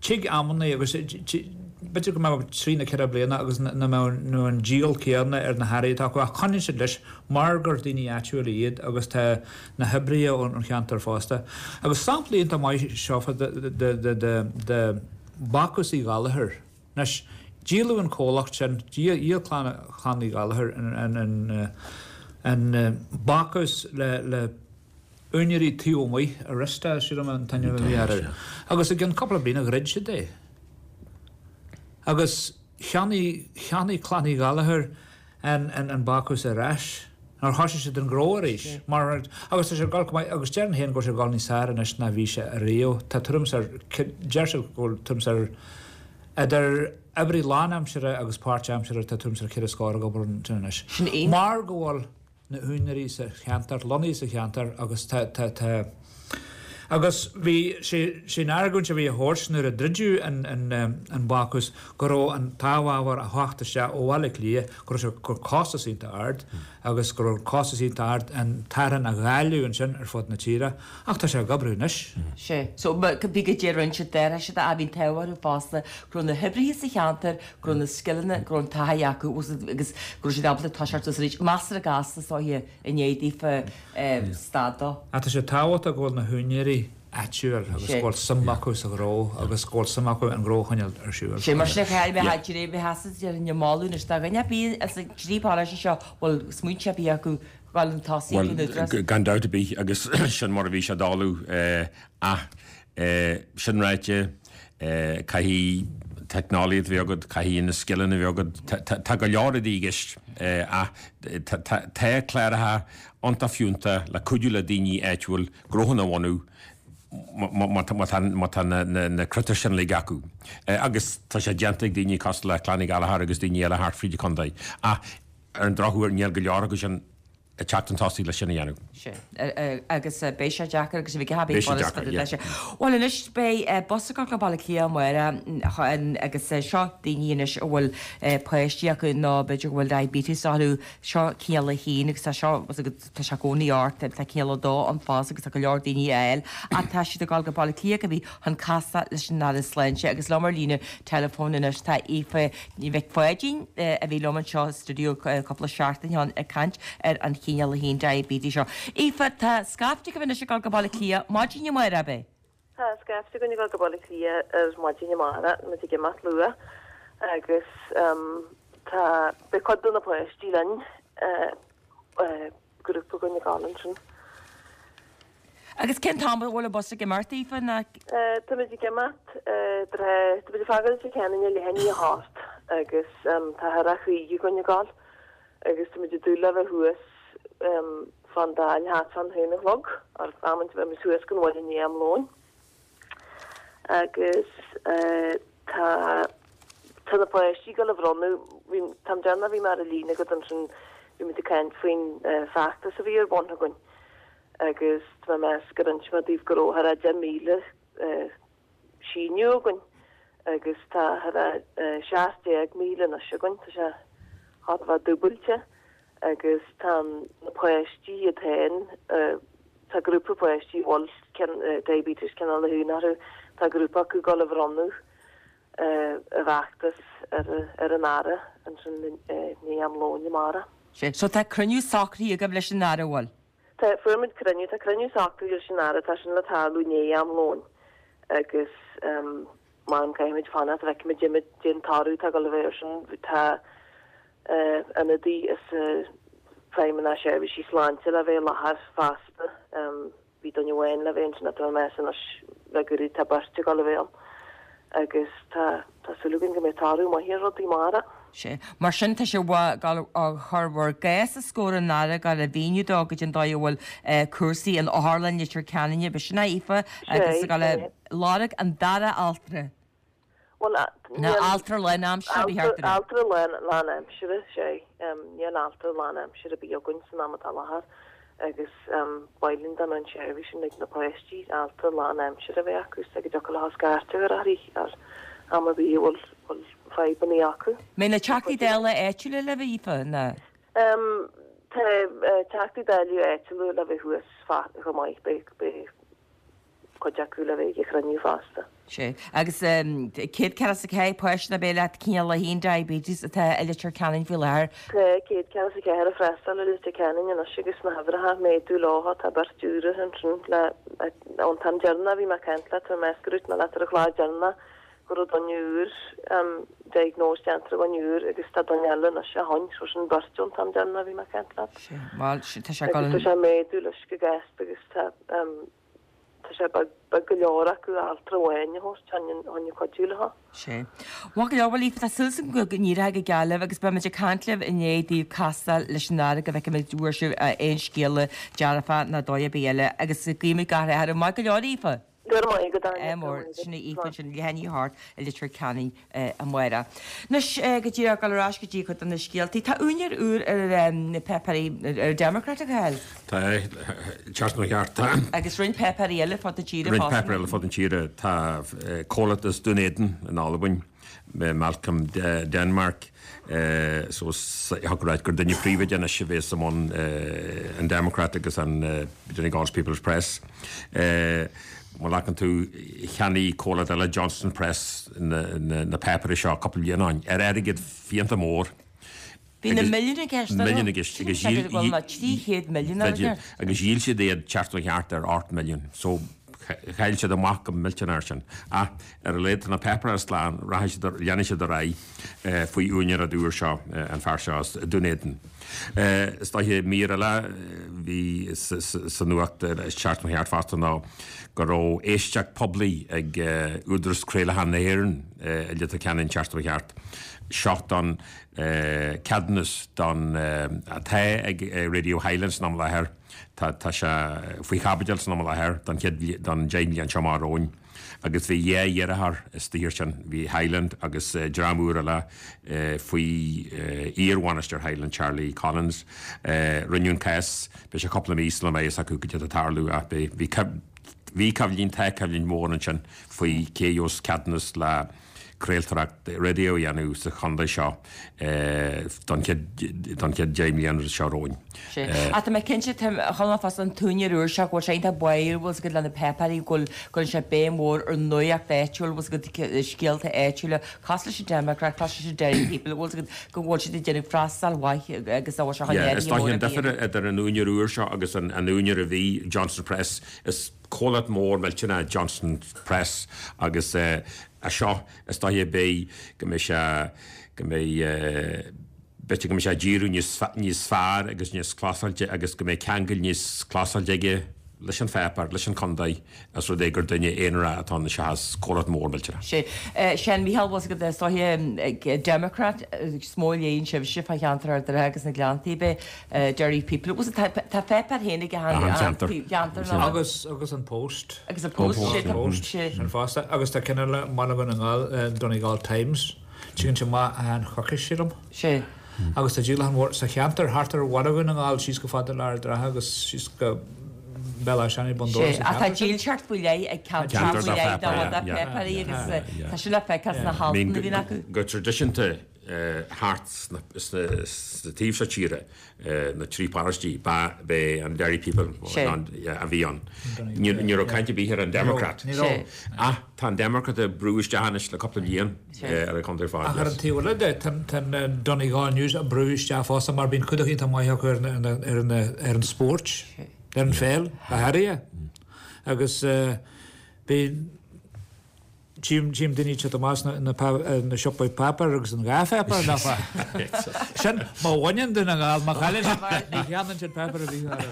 Speaker 3: tig amannaí agus. b'fhéidir go mbeadh trí nó 4 bliana agus nach mbeadh an díol céanna ar na hearraí atá acu ach coinníonn siad leis mar gur daoine áitiúla iad agus tá na hoibrithe ón cheantar fosta. Agus sampla iontach maith seo de Bácús Uí Ghallchóir. Anois, díoladh an comhlacht sin, dhíol Clann Uí Ghallchóir an bácús le úinéirí taobh amuigh, Arista, sílim an t-ainm a bhí orthu. Agus i gcionn cúpla bliana dhruid siad é. Agus cheannaigh, cheannaigh Clann Uí Ghallchóir an bácús ar ais nuair a thosaigh siad an gnó arís. Mar, agus tá sé ag dul go maith, agus déarfainn féin go bhfuil sé ag dul níos fearr anois ná bhí sé ariamh. Tá tuairim is ar, deir siad go bhfuil tuairim is ar, idir oibrí lánaimseartha agus páirtaimseartha tá tuairim is ar cheithre scór ag obair ansin anois.
Speaker 1: Sin iontach.
Speaker 3: Mar go bhfuil na húinéirí sa cheantar, lonnaithe sa cheantar agus tá, tá, tá, agus bhí sé, sé an argóint a bhí á thabhairt nuair a druideadh an, an, an bácús go raibh an t-amhábhar á theacht isteach ó Bhaile Átha Cliath, go raibh sé, go raibh costas iontach ard agus go raibh costas iontach ard an t-arán a dháileadh ansin ar fud na tíre ach tá sé ag oibriú anois.
Speaker 1: Sé. So, bhí go dtí roinnt d'athraithe siad a bhí an t-ádh orthu fosta go raibh na hoibrithe sa cheantar, go raibh na scileanna, go raibh an taithí acu agus go raibh siad ábalta toiseacht suas arís. Measartha gasta is dóiche i ndiaidh daofa stad dó.
Speaker 3: Ach tá sé tábhachtach go bhfuil na húinéirí áitiúil agus go bhfuil suim acu sa ghnó agus go bhfuil suim acu an gnó a choinneáil ar siúl.
Speaker 1: Sé mar sin a chaithfidh mé a bheith sásta déarfainn ag moladh anois do dhuine ar bith as an dtrí pharóiste seo bhfuil smaointe ar bith acu dhul chun tosaigh ag an Údarás.
Speaker 2: Bhuel, gan dabht ar bith agus sin mar a bhí sé ag dul ach sin ráite caithfidh teicneolaíocht a bheith agat, caithfidh na scileanna a bheith agat, tá go leor rudaí i gceist ach tá cláracha iontach fiúntach le cuidiú le daoine áitiúil gnóthanna a bhunú má tá na critéir sin uilig acu. Agus tá sé déanta ag daoine cosúil le Clann Uí Ghallchóir agus daoine eile thart fríd an chontae. Ach ar an drochuair níl go leor acu sin ag teacht chun tosaigh leis sin a dhéanamh.
Speaker 1: Sea. Agus beidh sé deacair agus bhí gach
Speaker 2: Beidh sé deacair, yeah.
Speaker 1: Bhuel anois beidh bus ag dul go Baile Átha Cliath amárach agus seo daoine anois a bhfuil páistí acu nó b'fhéidir go bhfuil diabetes orthu, seo cineál a haon agus tá seo, tá sé i gcónaí ort, tá cineál a dó ann fosta agus tá go leor daoine á fháil ach tá siad ag dul go Baile Átha Cliath go bhí chun casadh leis an Aire Sláinte agus liom ar líne teileafóin anois tá Aoife Mhic Pháidín a bhí liom anseo sa stiúideo cúpla seachtain ó shin ag caint ar an chineál 1 diabetes seo. Aoife, tá scaifte agaibh anois ag dul go Baile Átha Cliath maidin amárach, ab
Speaker 5: é? Tá scaifte againn ag dul go Baile Átha Cliath ar maidin amárach, muid ag imeacht luath agus tá, beidh cuid de na páistí linn. Grúpa againn ag dul ansin.
Speaker 1: Agus cén t-am a bhfuil an bus ag imeacht, Aoife,
Speaker 5: ná? Táimid ag imeacht tráth, táimid ag fágáil Leitir Ceanainn ar leath i ndiaidh a hocht agus tá thar a 50 againn ag dul agus táimid ag dúil le bheith thuas fán Dáil thart fán haon a chlog, ar amanta bheimid thuas gan mhoill i ndiaidh am lóin. Agus tá tá na páistí ag dul a bhronnadh, bhí, an t-am deireanach a bhí mé ar an líne agat ansin, bhí muid ag caint faoin feachtas a bhí ar bun againn agus tá mé ag meas gur inis mé daoibh go raibh thar a 10,000 síniú againn agus tá thar a 17,000 anois againn, tá sé thar a bheith dúbailte agus tá na páistí iad féin, tá grúpa páistí a bhfuil diabetes cineál a haon orthu, tá grúpa acu ag dul a bhronnadh a bhfeachtas ar an Aire ansin i ndiaidh am lóin amárach.
Speaker 1: Sea, so tá cruinniú socraithe agaibh leis an Aire, an bhfuil?
Speaker 5: Tá, fuair muid cruinniú, tá cruinniú socraithe leis an Aire, tá sin le tarlú i ndiaidh am lóin agus m'anam caithfimid fanacht, feicfimid caidé an toradh atá ag dul a bheith air sin, tá ionadaí as Feidhmeannas Seirbhísí Sláinte le bheith i láthair fosta. Bhí duine amháin le bheith ansin ach tá mé ag meas anois le gairid tá beirt ag dul a bheith ann agus tá tá súil againn go mbeidh toradh maith ar rudaí amárach.
Speaker 1: Sea. Mar sin tá sibh ag dul a chur bhur gcás os comhair an Aire, ag dul a mhíniú dó goidé an dóigh a bhfuil cúrsaí in Otharlann Leitir Ceanainn, ab sin é Aoife, agus ag dul a lorg an dara altra.
Speaker 5: Bhuel,
Speaker 1: Nó altra lánaimseartha a bhí thart
Speaker 5: ar. Altra lánaimseartha, sea. Níl altra lánaimseartha ar bith againn san am atá i láthair agus ba mhaith linn dá mbeadh an tseirbhís sin ag na páistí, altra lánaimseartha a bheith acu so go dtiocfadh leo scairt a chur uirthi ar am ar bith a bhfuil fadhbanna acu.
Speaker 1: Mbeidh na Teachtaí Dála áitiúla libh, a Aoife,
Speaker 5: nó? Tá Teachtaí Dála áitiúla le bheith thuas chomh maith. Beidh. cuid acu le bheith ag an chruinniú fosta.
Speaker 1: Sea. Agus 144 páiste ab é leat cineál 1 diabetes atá i Leitir Ceanainn faoi láthair.
Speaker 5: Tá 144 ag freastal i Leitir Ceanainn anois agus na huimhreacha ag méadú leo tá beirt úra ansin le ón t-am deireanach a bhí mé ag caint leat tá mé ag meas go ndúirt mé leat ar an chlár deireanach go raibh duine úr diagnóis déanta ar dhuine úr agus tá duine eile anois ó shin so sin beirt ón t-am deireanach a bhí mé ag caint leat.
Speaker 1: Sea. Bhuel, tá sé ag dul
Speaker 5: Agus tá sé ag méadú leis go gasta agus tá Tá sé beag, beag go leor acu altra amháin a thabhairt chun cuidiú leo.
Speaker 1: Sea. Maith go leor, bhuel Aoife, tá súil agam go n-éireoidh go geal libh agus beimid ag caint libh i ndiaidh daoibh castáil leis an Aire go bhfeicfimid an bhfuair sibh aon scéala dearfach ná dóigh ar bith eile agus guímid gach rath oraibh. Maith go leor, Aoife.
Speaker 5: Go raibh maith agat, Áine.
Speaker 1: Ádh mór. Sin í Aoife ansin, leath i ndiaidh a hocht i Leitir Ceanainn amárach. Anois, go díreach ag dul ar ais go dtí cuid de na scéaltaí. Tá úinéir úr ar na páipéirí, ar Democrat, a Chathail?
Speaker 2: Tá, ceart nó ceart, tá.
Speaker 1: Agus roinnt páipéirí eile fud na tíre
Speaker 2: fosta. Roinnt páipéirí eile fud na tíre. Tá comhlacht as Dún Éideann in Albain, Malcolm Denmark, so thiocfadh a ráit gur duine príobháideach anois a bhéas i mbun an Democrat agus an Donegal's People's Press. Má ghlacann tú, cheannaigh comhlacht eile, Johnston Press, na páipéirí seo cúpla bliain ó shin ar airgead fiánta mór.
Speaker 1: Bhí na milliúin i gceist, an raibh?
Speaker 2: Milliúin i gceist.
Speaker 1: Agus dhíol, 300 milliún ar an
Speaker 2: Agus dhíol siad iad ceart ó cheart ar 8 milliún. So chaill siad amach go millteanach air sin. Ach ar a laghad tá na páipéirí slán, rachaidh siad, leanfaidh siad ar aghaidh faoi úinéireacht úr seo, an fear seo as Dún Éideann. Is dóiche mír eile a bhí sa nuacht seachtain seo fosta ná go raibh éisteacht poiblí ag Údarás Craolacháin na hÉireann i Leitir Ceanainn seachtain seo thart. Seo don ceadúnas don atá ag Radio Highland san am i láthair. Tá tá sé faoi chaibidil san am i láthair don chéad don 10 mbliain seo amach romhainn agus bhí dhá iarrthóir istigh air sin, bhí Highland agus dream úr eile faoi iar-bhainisteoir Highland Charlie Collins. Rinneadh an cás, beidh sé cúpla mí sula mbeidh fhios acu cad é atá ag tarlú ach bhí bhí bhí coimhlint, tá coimhlint mhór ansin faoi cé a gheobhas ceadúnas le craoltóireacht raidió a dhéanamh sa chontae seo don chéad 10 mbliana seo romhainn.
Speaker 1: Sea. Ach tá mé cinnte, chonaic mé fosta an t-úinéir úr seo, go bhfuil sé iontach báúil, bhfuil 's agat, le na páipéirí, go bhfuil, go gcuireann sé béim mhór ar nuacht áitiúil, bhfuil 's agat, scéalta áitiúla, cosúil leis an Democrat, cosúil leis an Derry People, bhfuil 's agat, go bhfuil siad ag déanamh freastal mhaith agus a bhfuil sé chun
Speaker 2: Yeah, is
Speaker 1: éirí
Speaker 2: dóiche
Speaker 1: mór
Speaker 2: an
Speaker 1: a bhí
Speaker 2: difear idir an úinéir úr seo agus an úinéir a bhí, Johnston Press, is Comhlacht mór millteanach Johnston Press agus é seo is dóiche beidh go mbeidh sé go mbeidh b'fhéidir go mbeidh sé ag díriú níos níos fearr agus níos closáilte agus go mbeidh ceangal níos closáilte aige leis an pháipéar, leis an chontae, os rud é gur duine aonarach atá ann seachas comhlacht mór millteanach.
Speaker 1: Sea. Sin Mícheál, bhfuil 's agat is dóiche Democrat is mó a léann sibhse fá cheantar Ard an Rátha agus na Gleanntaí, b'é Derry People. Bhfuil 's agat tá pháipéar féin ag achan
Speaker 2: ceantar.
Speaker 1: cheantar nó.
Speaker 3: Agus agus an Post.
Speaker 1: Agus an Post, sé tá
Speaker 3: Post sin fosta. Agus tá ceann eile i mBaile Dhún na nGall, Donegal Times. Tiocfaidh sé amach achan choicís sílim.
Speaker 1: Sé.
Speaker 3: Agus tá díolachán mhór sa cheantar thart ar Bhaile Dhún na nGall síos go fada le Ard an Rátha agus síos go Béal Átha Seanaidh Bun Dobhra
Speaker 1: Sé.
Speaker 3: sa
Speaker 1: Ach tá
Speaker 3: cheantar sin.
Speaker 1: dílseacht faoi leith ag ceantar
Speaker 2: Ceantar
Speaker 1: faoi
Speaker 2: dá
Speaker 1: leith dá
Speaker 2: pháipéar,
Speaker 1: dá
Speaker 2: yeah.
Speaker 1: pháipéirí agus tá sin le feiceáil sna
Speaker 2: I mean
Speaker 1: haltanna a bhíonn acu.
Speaker 2: go traidisiúnta thart sna taobh seo tíre, na trí paróistí, ba é an Derry People a bhí ann. Ní raibh caint ar bith ar an Democrat. Ach tá an Democrat ag brú isteach anois le cúpla bliain ar an chontae ar fad.
Speaker 3: Ach ar an taobh eile de, tá an Donegal News ag brú isteach fosta mar bíonn clúdach iontach maith acu ar an spórt, ar an pheil, go háirithe. Agus bíonn. Tchím daoine ag teacht amach sna na siopaí páipéir agus an dhá pháipéar nach ea? Sin má bhaineann Dún na nGall, má chailleann siad, ní cheannaíonn siad páipéar ar bith ar.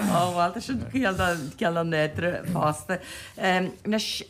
Speaker 1: Ó bhuel tá sin ciall ciall an nádúrtha fosta. Anois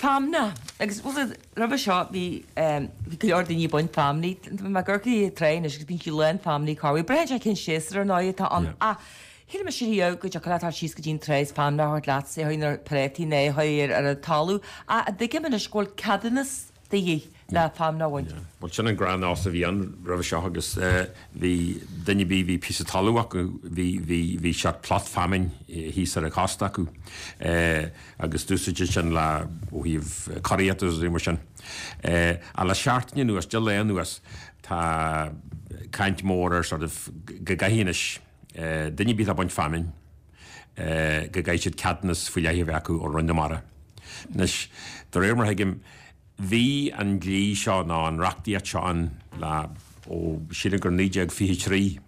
Speaker 1: feamna agus bhuel roimhe seo bhí bhí go leor daoine ag baint feamnaí. Tá mé ag amharc ar an trá anois agus bíonn sí lán feamnaí corruair. Braitheann sé cén séasúr ar ndóigh atá ann ach Shíl mise riamh go dtiocfadh leat dul síos go dtí an trá is feamnach a thabhairt leat, é a chur ar phréataí nó é a chur ar an talamh, ach tuigim anois go bhfuil ceadúnas de dhíth le feamnach a bhaint.
Speaker 2: Bhuel, sin an gnáthnós a bhí ann roimhe seo agus bhí duine ar bith a bhí píosa talamh acu, bhí, bhí, bhí seort plot feamainn thíos ar an chósta acu agus d'úsáidtí sin le, ó thaobh curaíochta agus rudaí mar sin. Ach le seachtain anuas, 10 lá anuas, tá caint mhór ar sort of go gcaithfidh anois, Duine ar bith atá ag baint feamainn. go gcaithfidh siad ceadúnas faoi leith a bheith acu ó Roinn na Mara. Anois, de réir mar a thuigim, bhí an dlí seo nó an reachtaíocht seo ann le, ó, sílim gur 1923,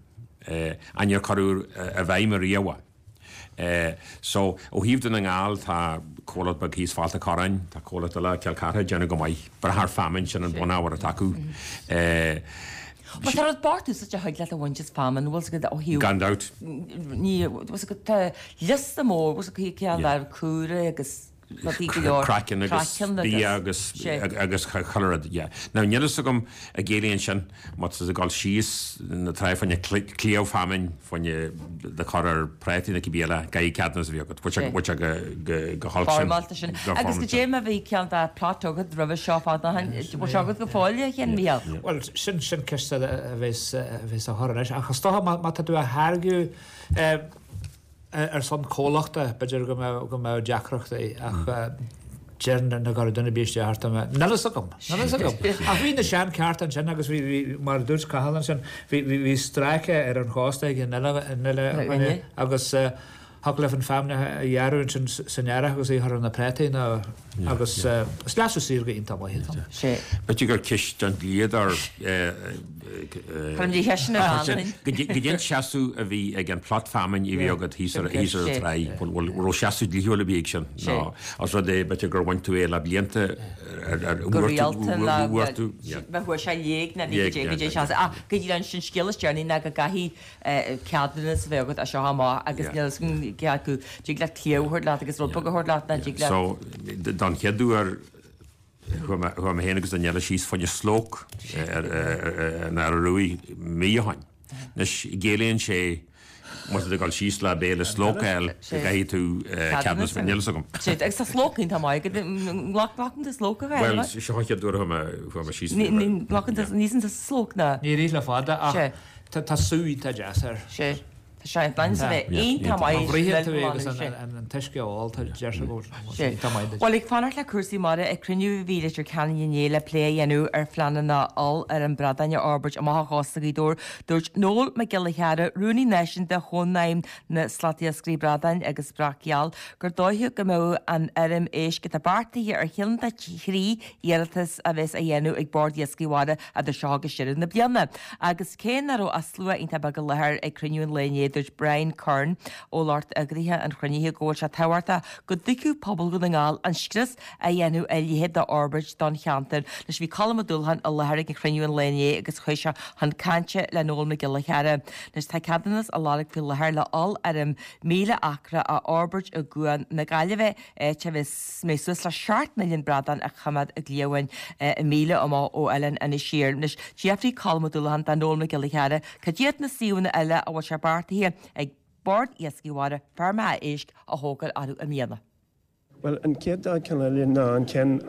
Speaker 2: ach níor cuireadh i bhfeidhm ariamh é. So, ó thaobh Dún na nGall, tá comhlacht beag thíos Fál an Chorráin, tá comhlacht eile, Cill Chartha, ag déanamh go maith. Brath ar feamainn, sin an bunábhar atá acu.
Speaker 1: Bhuel, tá rud bocht úsáid a thig leat a bhaint as feamainn, bhfuil 's agat ó thaobh.
Speaker 2: Gan dabht.
Speaker 1: Ní, bhfuil 's agat, tá liosta mór, bhfuil 's agat, cén dár cúra agus rudaí go leor.
Speaker 2: Craiceann agus bia agus agus chuile rud, yeah. Now, níl fhios agam an gciallaíonn sin, má tá tú ag dul síos na trá fá choinne cliabh feamainn, fá choinne do chur ar prátaí nó cibé eile, caithfidh ceadúnas a bheith agat, bhfuil sé, bhfuil sé go, go, go holc
Speaker 1: sin. Foirmeálta sin. Agus go dté má bhí ceann de plot agat roimhe seo fada ó shin, bhfuil sé agat go fóill, a Sheáin Mhícheáil?
Speaker 3: Bhuel, sin, sin ceist a bheas, a bheas á chur anois. Ach is dócha má, má tá tú á tháirgeadh ar son comhlachta, b'fhéidir go mbeadh, go mbeadh deacrachtaí ach déarfainn nach gcuirfeadh duine ar bith isteach ort. Níl fhios agam, níl fhios agam. Ach bhí na sean-chearta ansin agus bhí, bhí, mar a dúirt Cathal ansin, bhí, bhí, bhí stráice ar an chósta ag an uile, an uile dhuine agus thiocfadh leat an feamainn a ghearradh ansin san earrach agus í a chur ar na prátaí nó agus is leasú saorga iontach maith atá ann.
Speaker 2: B'fhéidir gur ceist don dlíodóir
Speaker 1: Cuirim de cheisteanna ar Antain.
Speaker 2: Goidé an seasamh a bhí ag an plot feamainn a bhí agat thíos ar an tráigh, bhfuil raibh seasamh dlíthiúil ar bith ag sin nó os rud é b'fhéidir gur bhain tú é le blianta
Speaker 1: ar go rialta nó bhfuair tú bheith chuaigh sé i léig nó bhí go dté go dté seasamh ach go dtí an scéal is deireanaí ná go gcaithfidh ceadúnas a bheith agat as seo amach agus níl fhios agam cé acu dtig leat cliabh a thabhairt leat agus rud beag a thabhairt leat ná dtig leat.
Speaker 2: So, don chéad uair chuaigh mé chuaigh mé féin agus duine eile síos fá choinne slóc ar an Fharraige Ruaidh mí ó shoin. Anois ciallaíonn sé má tá tú ag dul síos le béile slóc a fháil go gcaithfidh tú ceadúnas a bheith níl fhios agam.
Speaker 1: Sea, agus tá slóc iontach maith agat, nglacann tú slóc a
Speaker 2: Bhuel, seo an chéad uair a chuaigh mé chuaigh mé síos.
Speaker 1: Ní nglacann tú, ní íosann tú slóc ná?
Speaker 3: Níor ith le fada ach Tá sú iontach deas air.
Speaker 1: Sea. Tá sé in ainm is a bheith iontach maith.
Speaker 3: Má bhruitheann tú é agus an t-uisce a ól, tá deirtear go bhfuil sé iontach maith duit.
Speaker 1: Bhuel, ag fanacht le cúrsaí mara, ag cruinniú a bhí i Leitir Ceanainn inné le plé a dhéanamh ar phleananna ollfheirm bradáin a fhorbairt amach ó chósta Ghaoth Dobhair, dúirt Noel Mac Giolla Chearra, Rúnaí Náisiúnta Chónaidhm na Slatiascairí Bradáin agus Breac Geal, gur dóiche go mbeadh an fheirm éisc atá beartaithe ar cheann de thrí iarratas a bheas á dhéanamh ag Bord Iascaigh Mhara idir seo agus deireadh na bliana. Agus cé nach raibh ach slua iontach beag i láthair ag cruinniú an lae inné, dúirt Brian Curran ó lucht eagraithe an chruinnithe go bhfuil sé tábhachtach go dtuigfeadh pobal Dhún na nGall an scrios a dhéanfadh a leithéid d'fhorbairt don cheantar. Anois bhí Colm Ó Dúlacháin i láthair ag an chruinniú an lae inné agus chuaigh sé chun cainte le Noel Mac Giolla Chearra. Anois tá ceadúnas á lorg faoi láthair le ollfheirm 1,000 acra a fhorbairt i gCuan na Gaillimhe, áit a mbeidh suas le 7 milliún bradán á choimeád i gcliabháin 1,000 amach ó oileán Inis Oírr. Anois, d'fhiafraigh Colm Ó Dúlacháin de Noel Mac Giolla Chearra cad iad na suíomhanna eile a bhfuil sé beartaithe ag Bord Iascaigh Mhara feirmeacha éisc a thógáil orthu i mbliana.
Speaker 6: Bhuel, an chéad dá cheann eile ná an ceann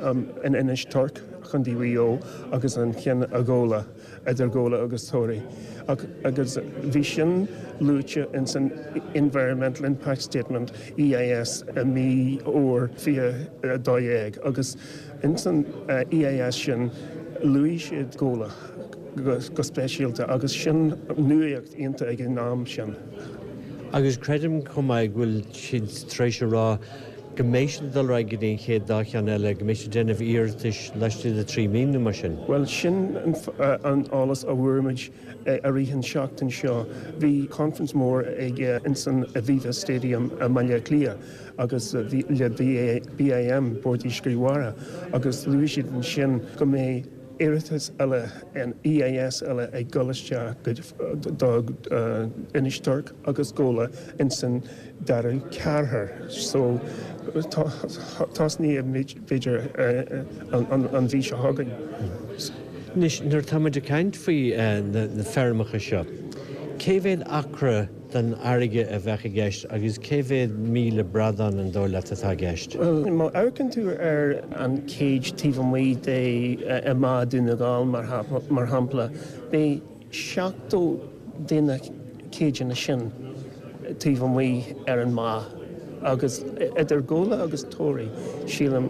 Speaker 6: in Inis Toirc, Chontae Mhaigh Eo, agus an ceann i Gabhla, idir Gabhla agus Toraigh. Ach, agus bhí sin luaite ins an Environmental Impact Statement, EIS, i mí Fhómhair 2012 agus ins an EIS sin luaigh siad Gabhla go speisialta agus sin nuaíocht iontach ag an am sin.
Speaker 7: Agus creidim chomh maith go bhfuil siad tar éis a rá go mbeidh siad ag dul ar aghaidh go dtí an chéad dá cheann eile, go mbeidh siad ag déanamh iarratais laistigh de thrí mhí nó mar sin.
Speaker 6: Bhuel, sin an eolas a bhfuair muid i rith an seachtain seo. Bhí conference mór ag ins an Aviva Stadium i mBaile Átha Cliath agus bhí le BIM, Bord Iascaigh Mhara, agus luaigh siad ansin go mbeidh iarratas eile, an EIS eile ag dul isteach do Inis Toirc agus Gabhla ins an dara ceathair so tosnaíonn b'fhéidir an mhí seo chugainn.
Speaker 7: Anois, nuair atá muid ag caint faoi na feirmeacha seo, cé mhéad acra den fharraige a bheadh i gceist agus cé mhéad 1,000 bradán an dóigh leat atá i gceist?
Speaker 6: Bhuel, má amharcann tú ar an cage taobh amuigh de i mBá Dún na nGall mar shampla, beidh 70 de na céideanna sin taobh amuigh ar an mbá agus idir Gabhla agus Toraigh, sílim,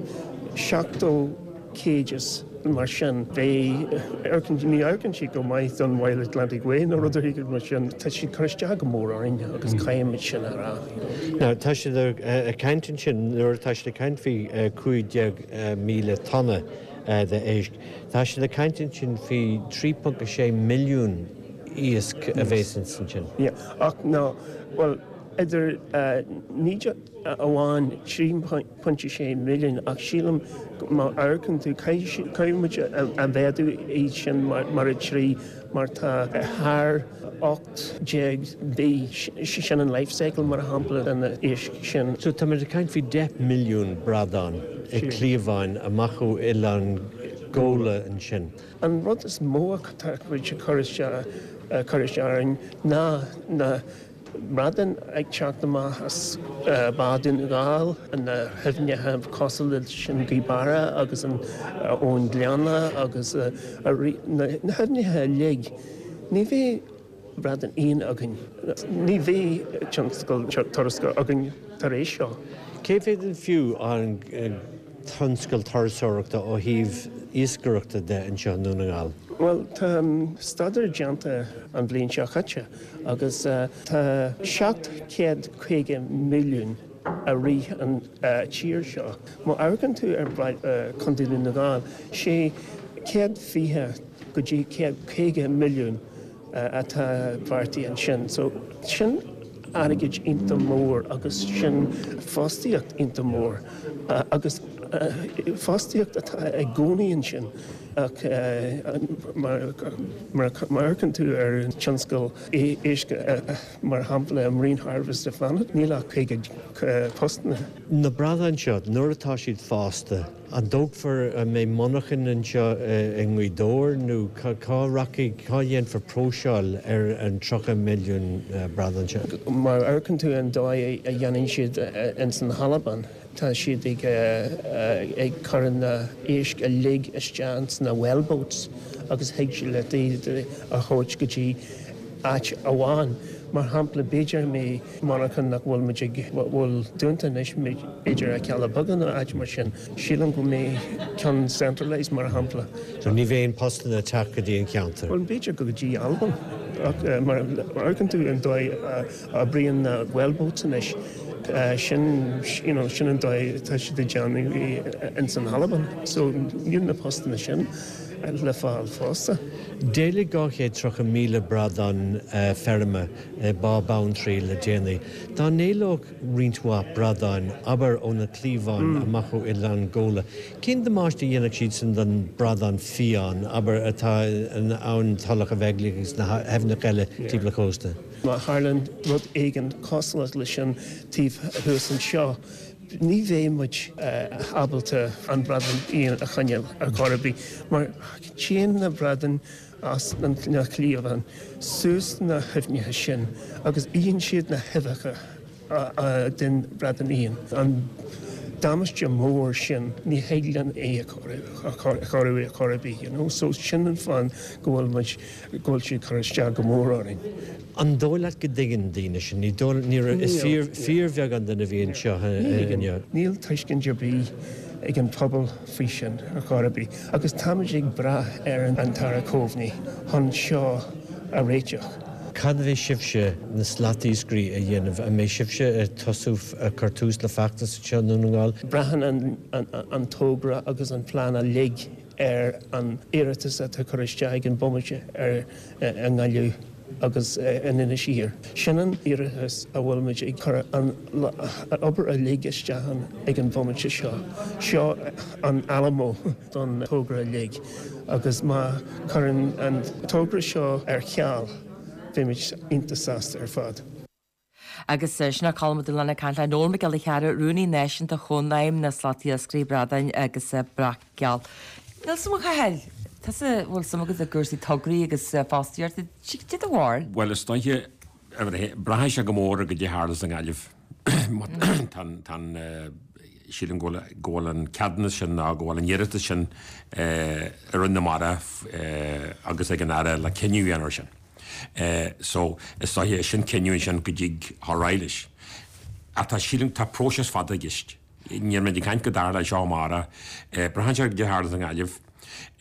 Speaker 6: 70 cages. mar sin, beidh, ní amharcann siad go maith don Wild Atlantic Way nó rud éigin mar sin. Tá siad ag cur isteach go mór orainn agus caithfimid sin a rá.
Speaker 7: Now, tá siad ag caint ansin, nuair atá siad ag caint faoi 15,000 tonna d'éisc, tá siad ag caint ansin faoi 3.6 milliún iasc a bhéas ansin.
Speaker 6: Yeah, ach ná, bhuel, idir ní amháin 3.6 milliún ach sílim má amharcann tú, caithfidh muid a mhéadú iad sin mar 3 mar tá thar 18 mhí, sin an life cycle mar shampla de na éisc sin.
Speaker 7: So tá muid ag caint faoi 10 milliún bradán i cliabháin amach ó Oileán Ghabhla ansin.
Speaker 6: An rud is mó atá muid ag cur isteach orainn ná na bradáin ag teacht amach as Bá Dhún na nGall, na haibhneacha cosúil leis an Ghaoth Beara agus an Abhainn Ghleanna agus na haibhneacha uilig. Ní bheidh bradán fhiáin againn. Ní bheidh tionscal turasóireachta againn tar éis seo.
Speaker 7: Cé mhéad an fiú an tionscal turasóireachta ó thaobh iascaireachta de anseo i nDún na nGall?
Speaker 6: Bhuel, tá staidéar déanta an bhliain seo caite agus tá 750 milliún a rith an tír seo. Má amharcann tú ar Chontae Dhún na nGall, 620 go dtí 150 milliún atá beartaithe ansin. So sin airgead iontach mór agus sin fostaíocht iontach mór agus fostaíocht atá i gcónaí ansin ach mar má amharcann tú ar an tionscal éisc mar shampla Marine Harvest i Fánaid níl ach 50 postanna.
Speaker 7: Na bradáin seo, nuair atá siad fásta, An dtógfar, an mbeidh monarchain anseo i nGaoth Dobhair nó cá rachaidh, cá dhéanfar próiseáil ar an 30
Speaker 6: milliún bradán seo? Má amharcann tú an dóigh a dhéanann siad ins an Albain, tá siad ag ag cur na éisc uilig isteach ins na wellboats agus thig leat iad a thabhairt go dtí áit amháin. Mar shampla, b'fhéidir go mbeidh monarchan nach bhfuil muid ag, bhfuil dúnta anois, b'fhéidir i Cealla Beaga nó áit mar sin. Sílim go mbeidh ceann centralised mar shampla.
Speaker 7: So ní bheidh aon postanna ag teacht go dtí an ceantar?
Speaker 6: Bhuel b'fhéidir go dtí Albain ach mar amharcann tú an dóigh a oibríonn na wellboats anois, sin, you know, sin an dóigh atá siad ag déanamh é ins an Albain. So níl na postanna sin le fáil fosta.
Speaker 7: D'éalaigh 230,000 bradán feirme i Bá Beanntraí le déanaí. Dá n-éalódh roinnt mhaith bradáin, abair, ó na cliabháin amach ó Oileán Ghabhla, cén damáiste a dhéanfadh siad sin don bradán fiáin, abair, atá in Abhainn Tulach a' Bheaglaoich agus na haibhneacha eile timpeall an chósta?
Speaker 6: Má tharlaíonn rud éigin cosúil leis sin taobh thuas anseo, ní bheidh muid ábalta an bradán fiáin a choinneáil ar chor ar bith mar téann na bradáin as na cliabháin suas na haibhneacha sin agus itheann siad na huibheacha den bhradán fhiáin. An damáiste mór sin, ní thig linn é a chóiriú ar chor ar bith, you know. So sin an fáth go bhfuil muid, go bhfuil sé ag cur isteach go mór orainn.
Speaker 7: An dóigh leat go dtuigeann daoine sin? Ní dóigh, ní raibh, is fíor, fíorbheagán duine a bhí anseo inniu.
Speaker 6: Níl tuiscint ar bith ag an phobal faoi sin ar chor ar bith agus táimid ag brath ar an tAire Coveney chun seo a réiteach.
Speaker 7: Cad a bheidh sibhse, na slatiascairí, a dhéanamh? An mbeidh sibhse ag tosú, ag cur tús le feachtas anseo i nDún na nGall?
Speaker 6: Braitheann an togra agus an plean uilig ar an iarratas atá curtha isteach ag an bomaite ar i nGaillimh agus in Inis Oírr. Sin an iarratas a bhfuil muid ag cur an obair uilig isteach ann ag an bhomaite seo. Seo an Alamo don togra uilig agus má cuireann an togra seo ar ceal, beimid iontach sásta ar fad.
Speaker 1: Agus sin é Colm Ó Dúshláin ag caint le Noel Mac Giolla Chearra, Rúnaí Náisiúnta Chónaidhm na Slatiascairí Bradáin agus Breac Geal. Níl suim a Chathail, tusa a bhfuil suim agat i gcúrsaí tograí agus fostaíochta, cad é do bharúil?
Speaker 2: Bhuel, is dóiche, braitheann sé go mór ar goidé a tharlas i nGaillimh. Tá an, sílim go bhfuil, go bhfuil an ceadúnas sin nó go bhfuil an iarratas sin i Roinn na Mara agus ag an Aire le cinneadh a dhéanamh air sin. So, is dóiche, sin cinneadh ansin go dtig dhul ar aghaidh leis. Ach tá, sílim, tá próiseas fada i gceist. Níl muid ag caint go dtarlóidh seo amárach. Braitheann sé ar goidé a tharlas i nGaillimh.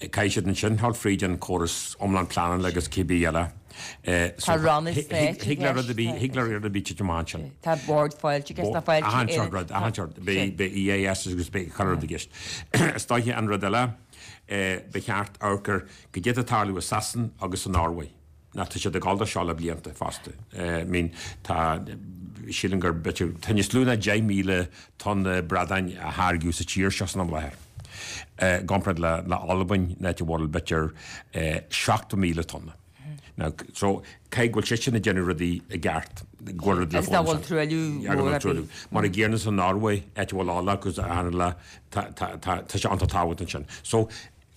Speaker 2: Caithfidh siad ansin dhul fríd an córas iomlán pleanála agus cibé eile.
Speaker 1: Tá ranna stáit i
Speaker 2: Thig le rud ar bith, thig le rud ar bith titim amach ansin.
Speaker 1: Tá Bord Fáilte i gceist, tá Fáilte
Speaker 2: Achan sórt rud, achan sórt. Beidh EIS agus beidh chuile rud i gceist. Is dóiche an rud eile, ba cheart amharc ar goidé atá ag tarlú i Sasain agus sa Norway. Ná tá siad ag dul do seo le blianta fosta. I mean tá, sílim gur b'fhéidir, tá níos lú ná 10,000 tonna bradáin á tháirgeadh sa tír seo san am láthair. I gcomparáid le le Albain, an áit a bhfuil b'fhéidir 70,000 tonna. Now so caithfidh go bhfuil siad sin ag déanamh rudaí i gceart, go bhfuil rud le
Speaker 1: Agus nach bhfuil truailliú mór ar bith.
Speaker 2: Mar a gcéanna sa Norway, áit a bhfuil ola agus achan tá tá tá tá sé iontach tábhachtach ansin. So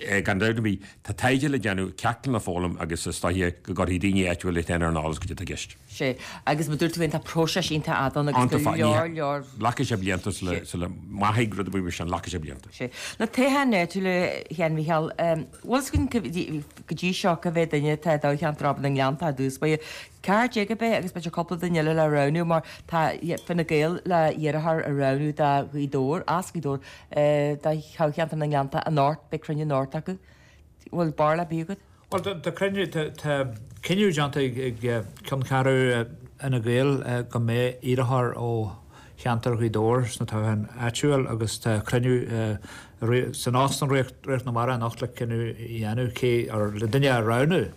Speaker 2: Gan dabht ar bith, tá taighde le déanamh, ceachtanna le foghlaim agus is dóiche go gcuirfidh daoine áitiúla iad féin ar an eolas goidé atá i gceist.
Speaker 1: Sea, agus mar dúirt tú féin, tá próiseas iontach fhada ann agus go leor, leor.
Speaker 2: Glacfaidh sé blianta sula maithfidh rud ar bith mar sin, glacfaidh sé blianta.
Speaker 1: Sea. Na toghcháin áitiúla, a Sheáin Mhícheáil, bhfuil fhios againn go dtí seo cá mhéad duine atá i dtoghcheantar Obair na nGleanntach i dtús báire? 14 ab é agus b'fhéidir cúpla duine eile le roghnú mar tá Fine Gael le iarrthóir a roghnú do Ghaoth Dobhair, as Gaoth Dobhair, do thoghcheantar na nGleannta anocht, beidh cruinniú anocht acu. Bhfuil barúil ar bith agat?
Speaker 3: Bhuel, tá cruinniú, tá cinneadh déanta ag ceanncheathrú Fhine Gael go mbeidh iarrthóir ó cheantar Ghaoth Dobhair sna toghcháin áitiúil agus tá cruinniú san Óstán Ríocht na Mara anocht le cinneadh a dhéanamh cé, or le duine a roghnú.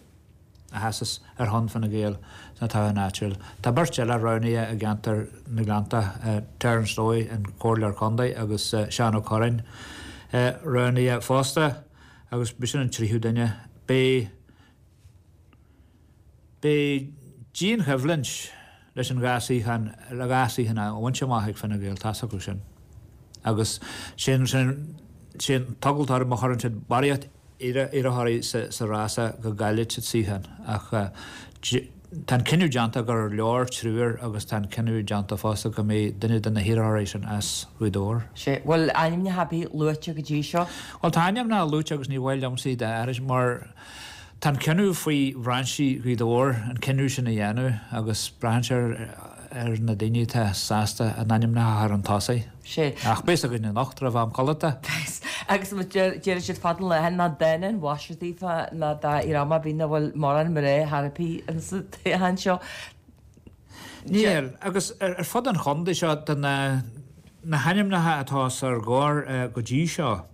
Speaker 3: a sheasas ar shon Fine Gael sna toghcháin áitiúil. Tá beirt eile roghnaithe i gceantar na nGleannta, Terence Lowy, an Comhairleoir Contae agus Seán Ó Curráin roghnaithe fosta agus b'shin an tríú duine. Beidh beidh dianchoimhlint leis an dhá suíochán le dhá suíochán a bhaint amach ag Fine Gael, tá's acu sin. Agus sin sin sin an t-eagla orthu má chuireann siad barraíocht iarrthóirí sa rása go gcaillfidh siad suíochán ach tá an cinneadh déanta gur leor triúr agus tá an cinneadh déanta fosta go mbeidh duine de na hiarrthóirí sin as Gaoth Dobhair.
Speaker 1: Sea, bhfuil ainmneacha ar bith luaite go dtí seo?
Speaker 3: Bhuel tá ainmneacha luaite agus ní mhaith liomsa iad a aithris mar tá an cinneadh faoi bhrainsí Ghaoth Dobhair an cinneadh sin a dhéanamh agus braitheann sé ar na daoine atá sásta a n-ainmneacha a chur chun tosaigh.
Speaker 1: Sea.
Speaker 3: Ach beidh fhios againn anocht roimh am codlata.
Speaker 1: Beidh. Agus déarfaidh siad fada an lá nach dána an mhaise daofa ná dá fhíor-am a bhí nach bhfuil mórán mná thar a bith insa toghchán seo.
Speaker 3: Níl. Agus ar fud an chontae seo, de na na hainmneacha atá os ár gcomhair go dtí seo,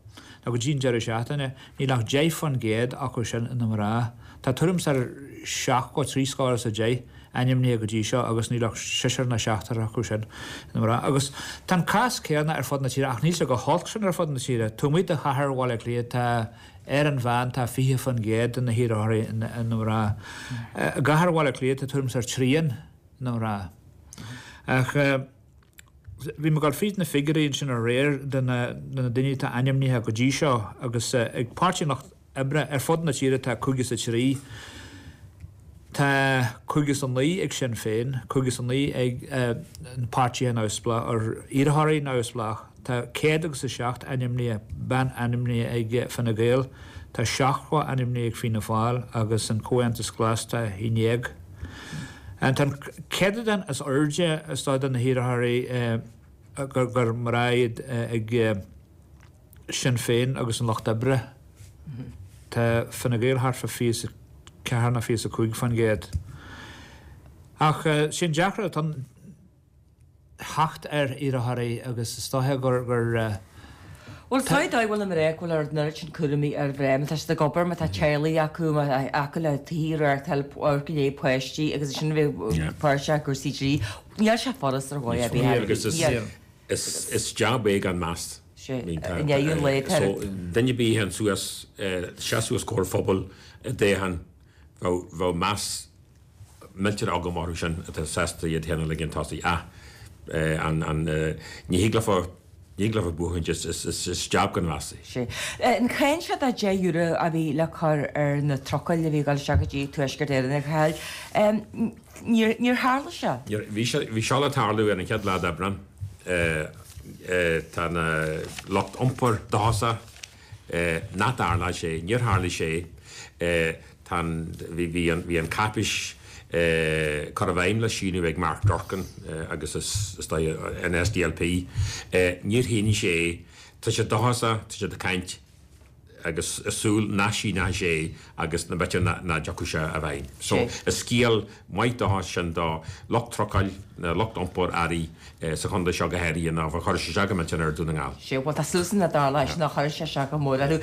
Speaker 3: nó go dtí an deireadh seachtaine, níl ach 10% acu sin ina mná. Tá tuairim is ar 70, 70 ainmnithe go dtí seo agus níl ach seisear nó seachtar acu sin ina mná. Agus tá an cás céanna ar fud na tíre ach níl sé chomh holc sin ar fud na tíre. Taobh amuigh de chathair Bhaile Átha Cliath tá ar an mheán tá 20% de na hiarrthóirí ina mná. I gcathair Bhaile Átha Cliath tá tuairim is ar trian ina mná. Ach bhí mé ag dul fríd na figiúirí ansin aréir de na daoine atá ainmnithe go dtí seo agus ag Páirtí an Lucht Oibre ar fud na tíre tá 53. Tá 59 ag Sinn Féin, 59 ag na páirtithe neamhspleách, or iarrthóirí neamhspleách. Tá 107 ainmnithe, bean ainmnithe ag Fine Gael, tá 70 ainmnithe ag Fianna Fáil agus an Comhaontas Glas tá 11. Tá an céatadán is airde is dóigh de na hiarrthóirí gur mná iad ag. Sinn Féin agus an Lucht Oibre. Tá Fine Gael thart fá 24 nó 25%. Ach sé an deacracht atá ann theacht ar iarrthóirí agus is dóiche gur gur.
Speaker 1: Bhuel, tá dóigh bhfuil na mná go bhfuil an oiread sin cúraimí ar mhná, má tá siad ag obair, má tá teaghlaigh acu, má tá acu le tithe a reáchtáil, amharc i ndiaidh páistí agus ansin bheith páirteach i gcúrsaí dlí. Níl sé furast ar dhóigh ar bith.
Speaker 2: Agus is jab é gan meas.
Speaker 1: Sea, i ndiaidh an lae
Speaker 2: tá. So, duine ar bith a théann suas, seas suas comhair phobail i dtoghchán, bheadh, bheadh meas millteanach agam orthu sin atá sásta iad féin a ligean tosaigh. Ach, an, an, ní thig leofa, ní thig leofa buachaint, is, is, is, is jab gan mheas é.
Speaker 1: Sea. An cháin seo de €10 a bhí le cur ar na trucail a bhí ag dul isteach go dtí Tuaisceart Éireann, a Chathail, níor, níor tharla sé.
Speaker 2: Níor, bhí sé, bhí seo le tarlú ar an chéad lá d'Aibreán. Tá na lucht iompair dóchasach nach dtarlóidh sé. Níor tharlaigh sé. Tá an, bhí, bhí an, bhí an cáipéis cur i bhfeidhm le síniú ag Mark Durkan agus is, is dóigh an SDLP. Níor shínigh sé é. Tá siad dóchasach, tá siad ag caint. Agus is súil nach síneoidh sé agus na b'fhéidir nach dtiocfaidh sé i bhfeidhm. So is scéal maith dóchais sin do lucht trucáil, na lucht iompair earraí sa chontae seo go háirithe ná chuirfeadh sé isteach go millteanach ar Dún na nGall.
Speaker 1: Sea, bhuel tá súil againn nach dtarlóidh sin nach chuirfidh sé isteach go mór orthu.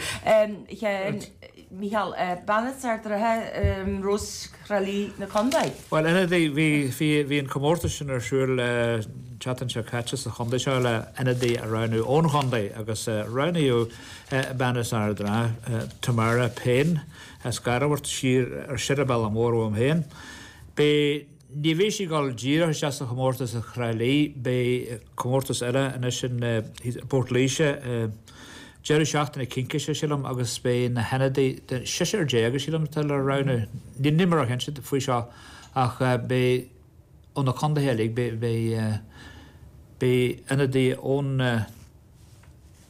Speaker 1: Micheál, bean as Ard an Rátha, Rós Thrá Lí na Condae.
Speaker 3: Bhuel, ionadaí, bhí, bhí, bhí an comórtas sin ar siúl an tseachtain seo caite sa chontae seo le ionadaí a roghnú ón chontae agus roghnaíodh bean as Ard an Rátha, Tamara Payne as Garbhart siar ar an bhealach mór uaim féin. Beidh, ní bheidh sí ag dul díreach isteach sa chomórtas i Thrá Lí, beidh comórtas eile anois in bPort Laoise, Deireadh seachtaine cincise, sílim, agus beidh na hionadaithe den seisear déag, sílim, atá le roghnú. Níl mé róchinnte faoi seo ach beidh ó na contaetha uilig, beidh, beidh, beidh ionadaithe ón,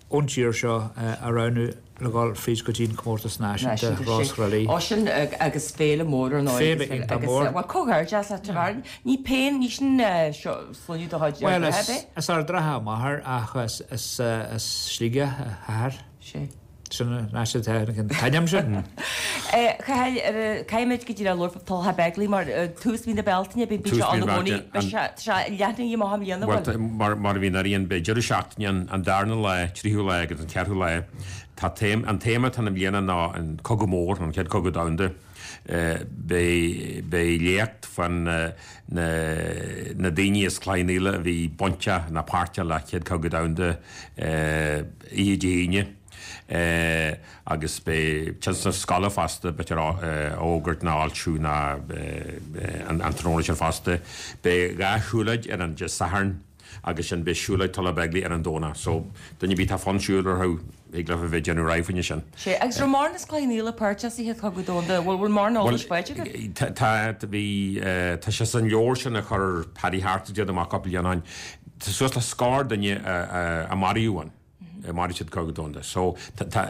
Speaker 3: ón tír seo á roghnú le dhul fríd go dtí an comórtas náisiúnta, Rós Thrá Lí.
Speaker 1: Ó sin agus féile mór ar ndóigh.
Speaker 3: Féile iontach mór.
Speaker 1: Bhuel, comhghairdeas leat, Tamara. Ní Payne, ní sin sloinne de chuid
Speaker 3: Bhuel, is Ard an Rátha a máthair ach is as Sligeach a hathair.
Speaker 1: Sea.
Speaker 3: Sin an áit atá an t-ainm sin.
Speaker 1: Cathail, caithfimid go díreach labhairt fá Tulach Begley mar tús mhí na Bealtaine, bíonn sé ann i gcónaí, beidh sé, tá sé leathnaithe amach i mbliana,
Speaker 2: bhfuil? Bhuel, mar a bhíonn ariamh, beidh deireadh seachtaine ann, an darna lá, tríú lá agus an ceathrú lá. Tá an téama atá ann i mbliana ná an Cogadh Mór, an Chéad Cogadh Domhanda. Beidh léacht fán na daoine as Cloich Cheann Fhaola a bhí bainteach ná páirteach le Chéad Cogadh Domhanda oíche Dé hAoine agus beidh tionscnamh scoile fosta, b'fhéidir á fhógairt ná á fhoilsiú ná an tráthnóna sin fosta. Beidh 2 siúlóid ar an Dé Sathairn. agus sin beidh siúlóid Tulach Begley ar an Domhnach so duine ar bith atá fonn siúil orthu thig leo a bheith ag déanamh rogha faoina sin.
Speaker 1: Sea, agus raibh mórán as Cloich Cheann Fhaola páirteach sa Chéad Chogadh Domhanda, bhfuil bhfuil mórán eolais faighte
Speaker 2: agat? Tá, bhí, tá sé san leabhar sin a chuir Paddy Harte déanamh amach cúpla bliain ó shin, tá suas le scór duine a maraíodh ann. Maraíodh sa Chéad Chogadh Domhanda. So, tá,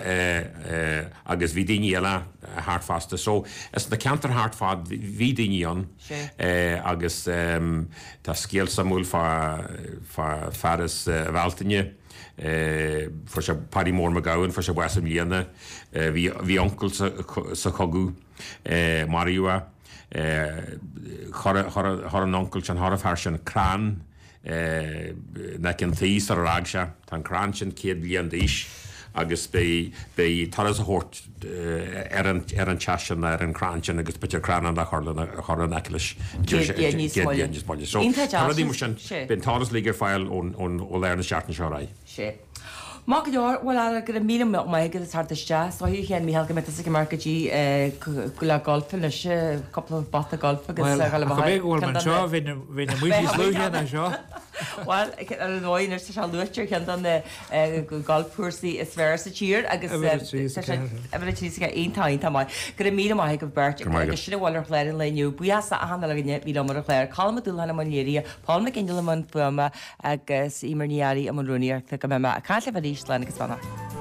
Speaker 2: agus bhí daoine eile thart fosta. So, is na ceantair thart fad, bhí daoine ann. Agus tá scéal suimiúil fá, fá fear as Bhealtaine, fuair sé, Paddy Mór Mac Gabhann, fuair sé bás i mbliana. Bhí, bhí uncail sa, sa chogadh, maraíodh é. Chuir, chuir an uncail sin, chuir an fear sin crann, in aice an tí sar ar fhág sé. Tá an crann sin 100 bliain d'aois agus beidh beidh turas á thabhairt ar an ar an teach sin ar an crann sin agus b'fhéidir crann eile a chur lena a chur in aice leis
Speaker 1: 100 bliain níos
Speaker 2: moille. 100 bliain níos moille. So tá rudaí mar sin beidh an t-eolas uilig ar fáil ón ón ó lár na seachtaine seo ar aghaidh.
Speaker 1: Sea. Maith go leor, bhuel ara, go raibh míle maith agat as theacht isteach. Is dóigh a Sheáin Mícheál go mbeidh tusa ag imeacht go dtí le golf anois, cúpla babhta golf agus
Speaker 3: Bhuel, ach go b'fhéidir go bhfuil mé anseo, bheinn amuigh níos luaithe ná seo.
Speaker 1: Bhuel, ar ndóigh anois tá sé luaite ar cheann de na golfchúrsaí is fearr sa tír agus
Speaker 3: Uimhir 3 is
Speaker 1: 4. Uimhir 3 is 4, iontach, iontach maith. Go raibh míle maith agaibh beirt agus sin a bhfuil ar chlár an lae inniu. Buíochas d'achan uile dhuine a bhí liom ar an chlár, Colm Ó Dúlacháin i mbun léirithe, Paul McGinley i mbun fuaime, agus Eimear Ní Fhearraigh i mbun rúnaíochta go mbeidh mé ag caint libh arís, slán agus beannacht.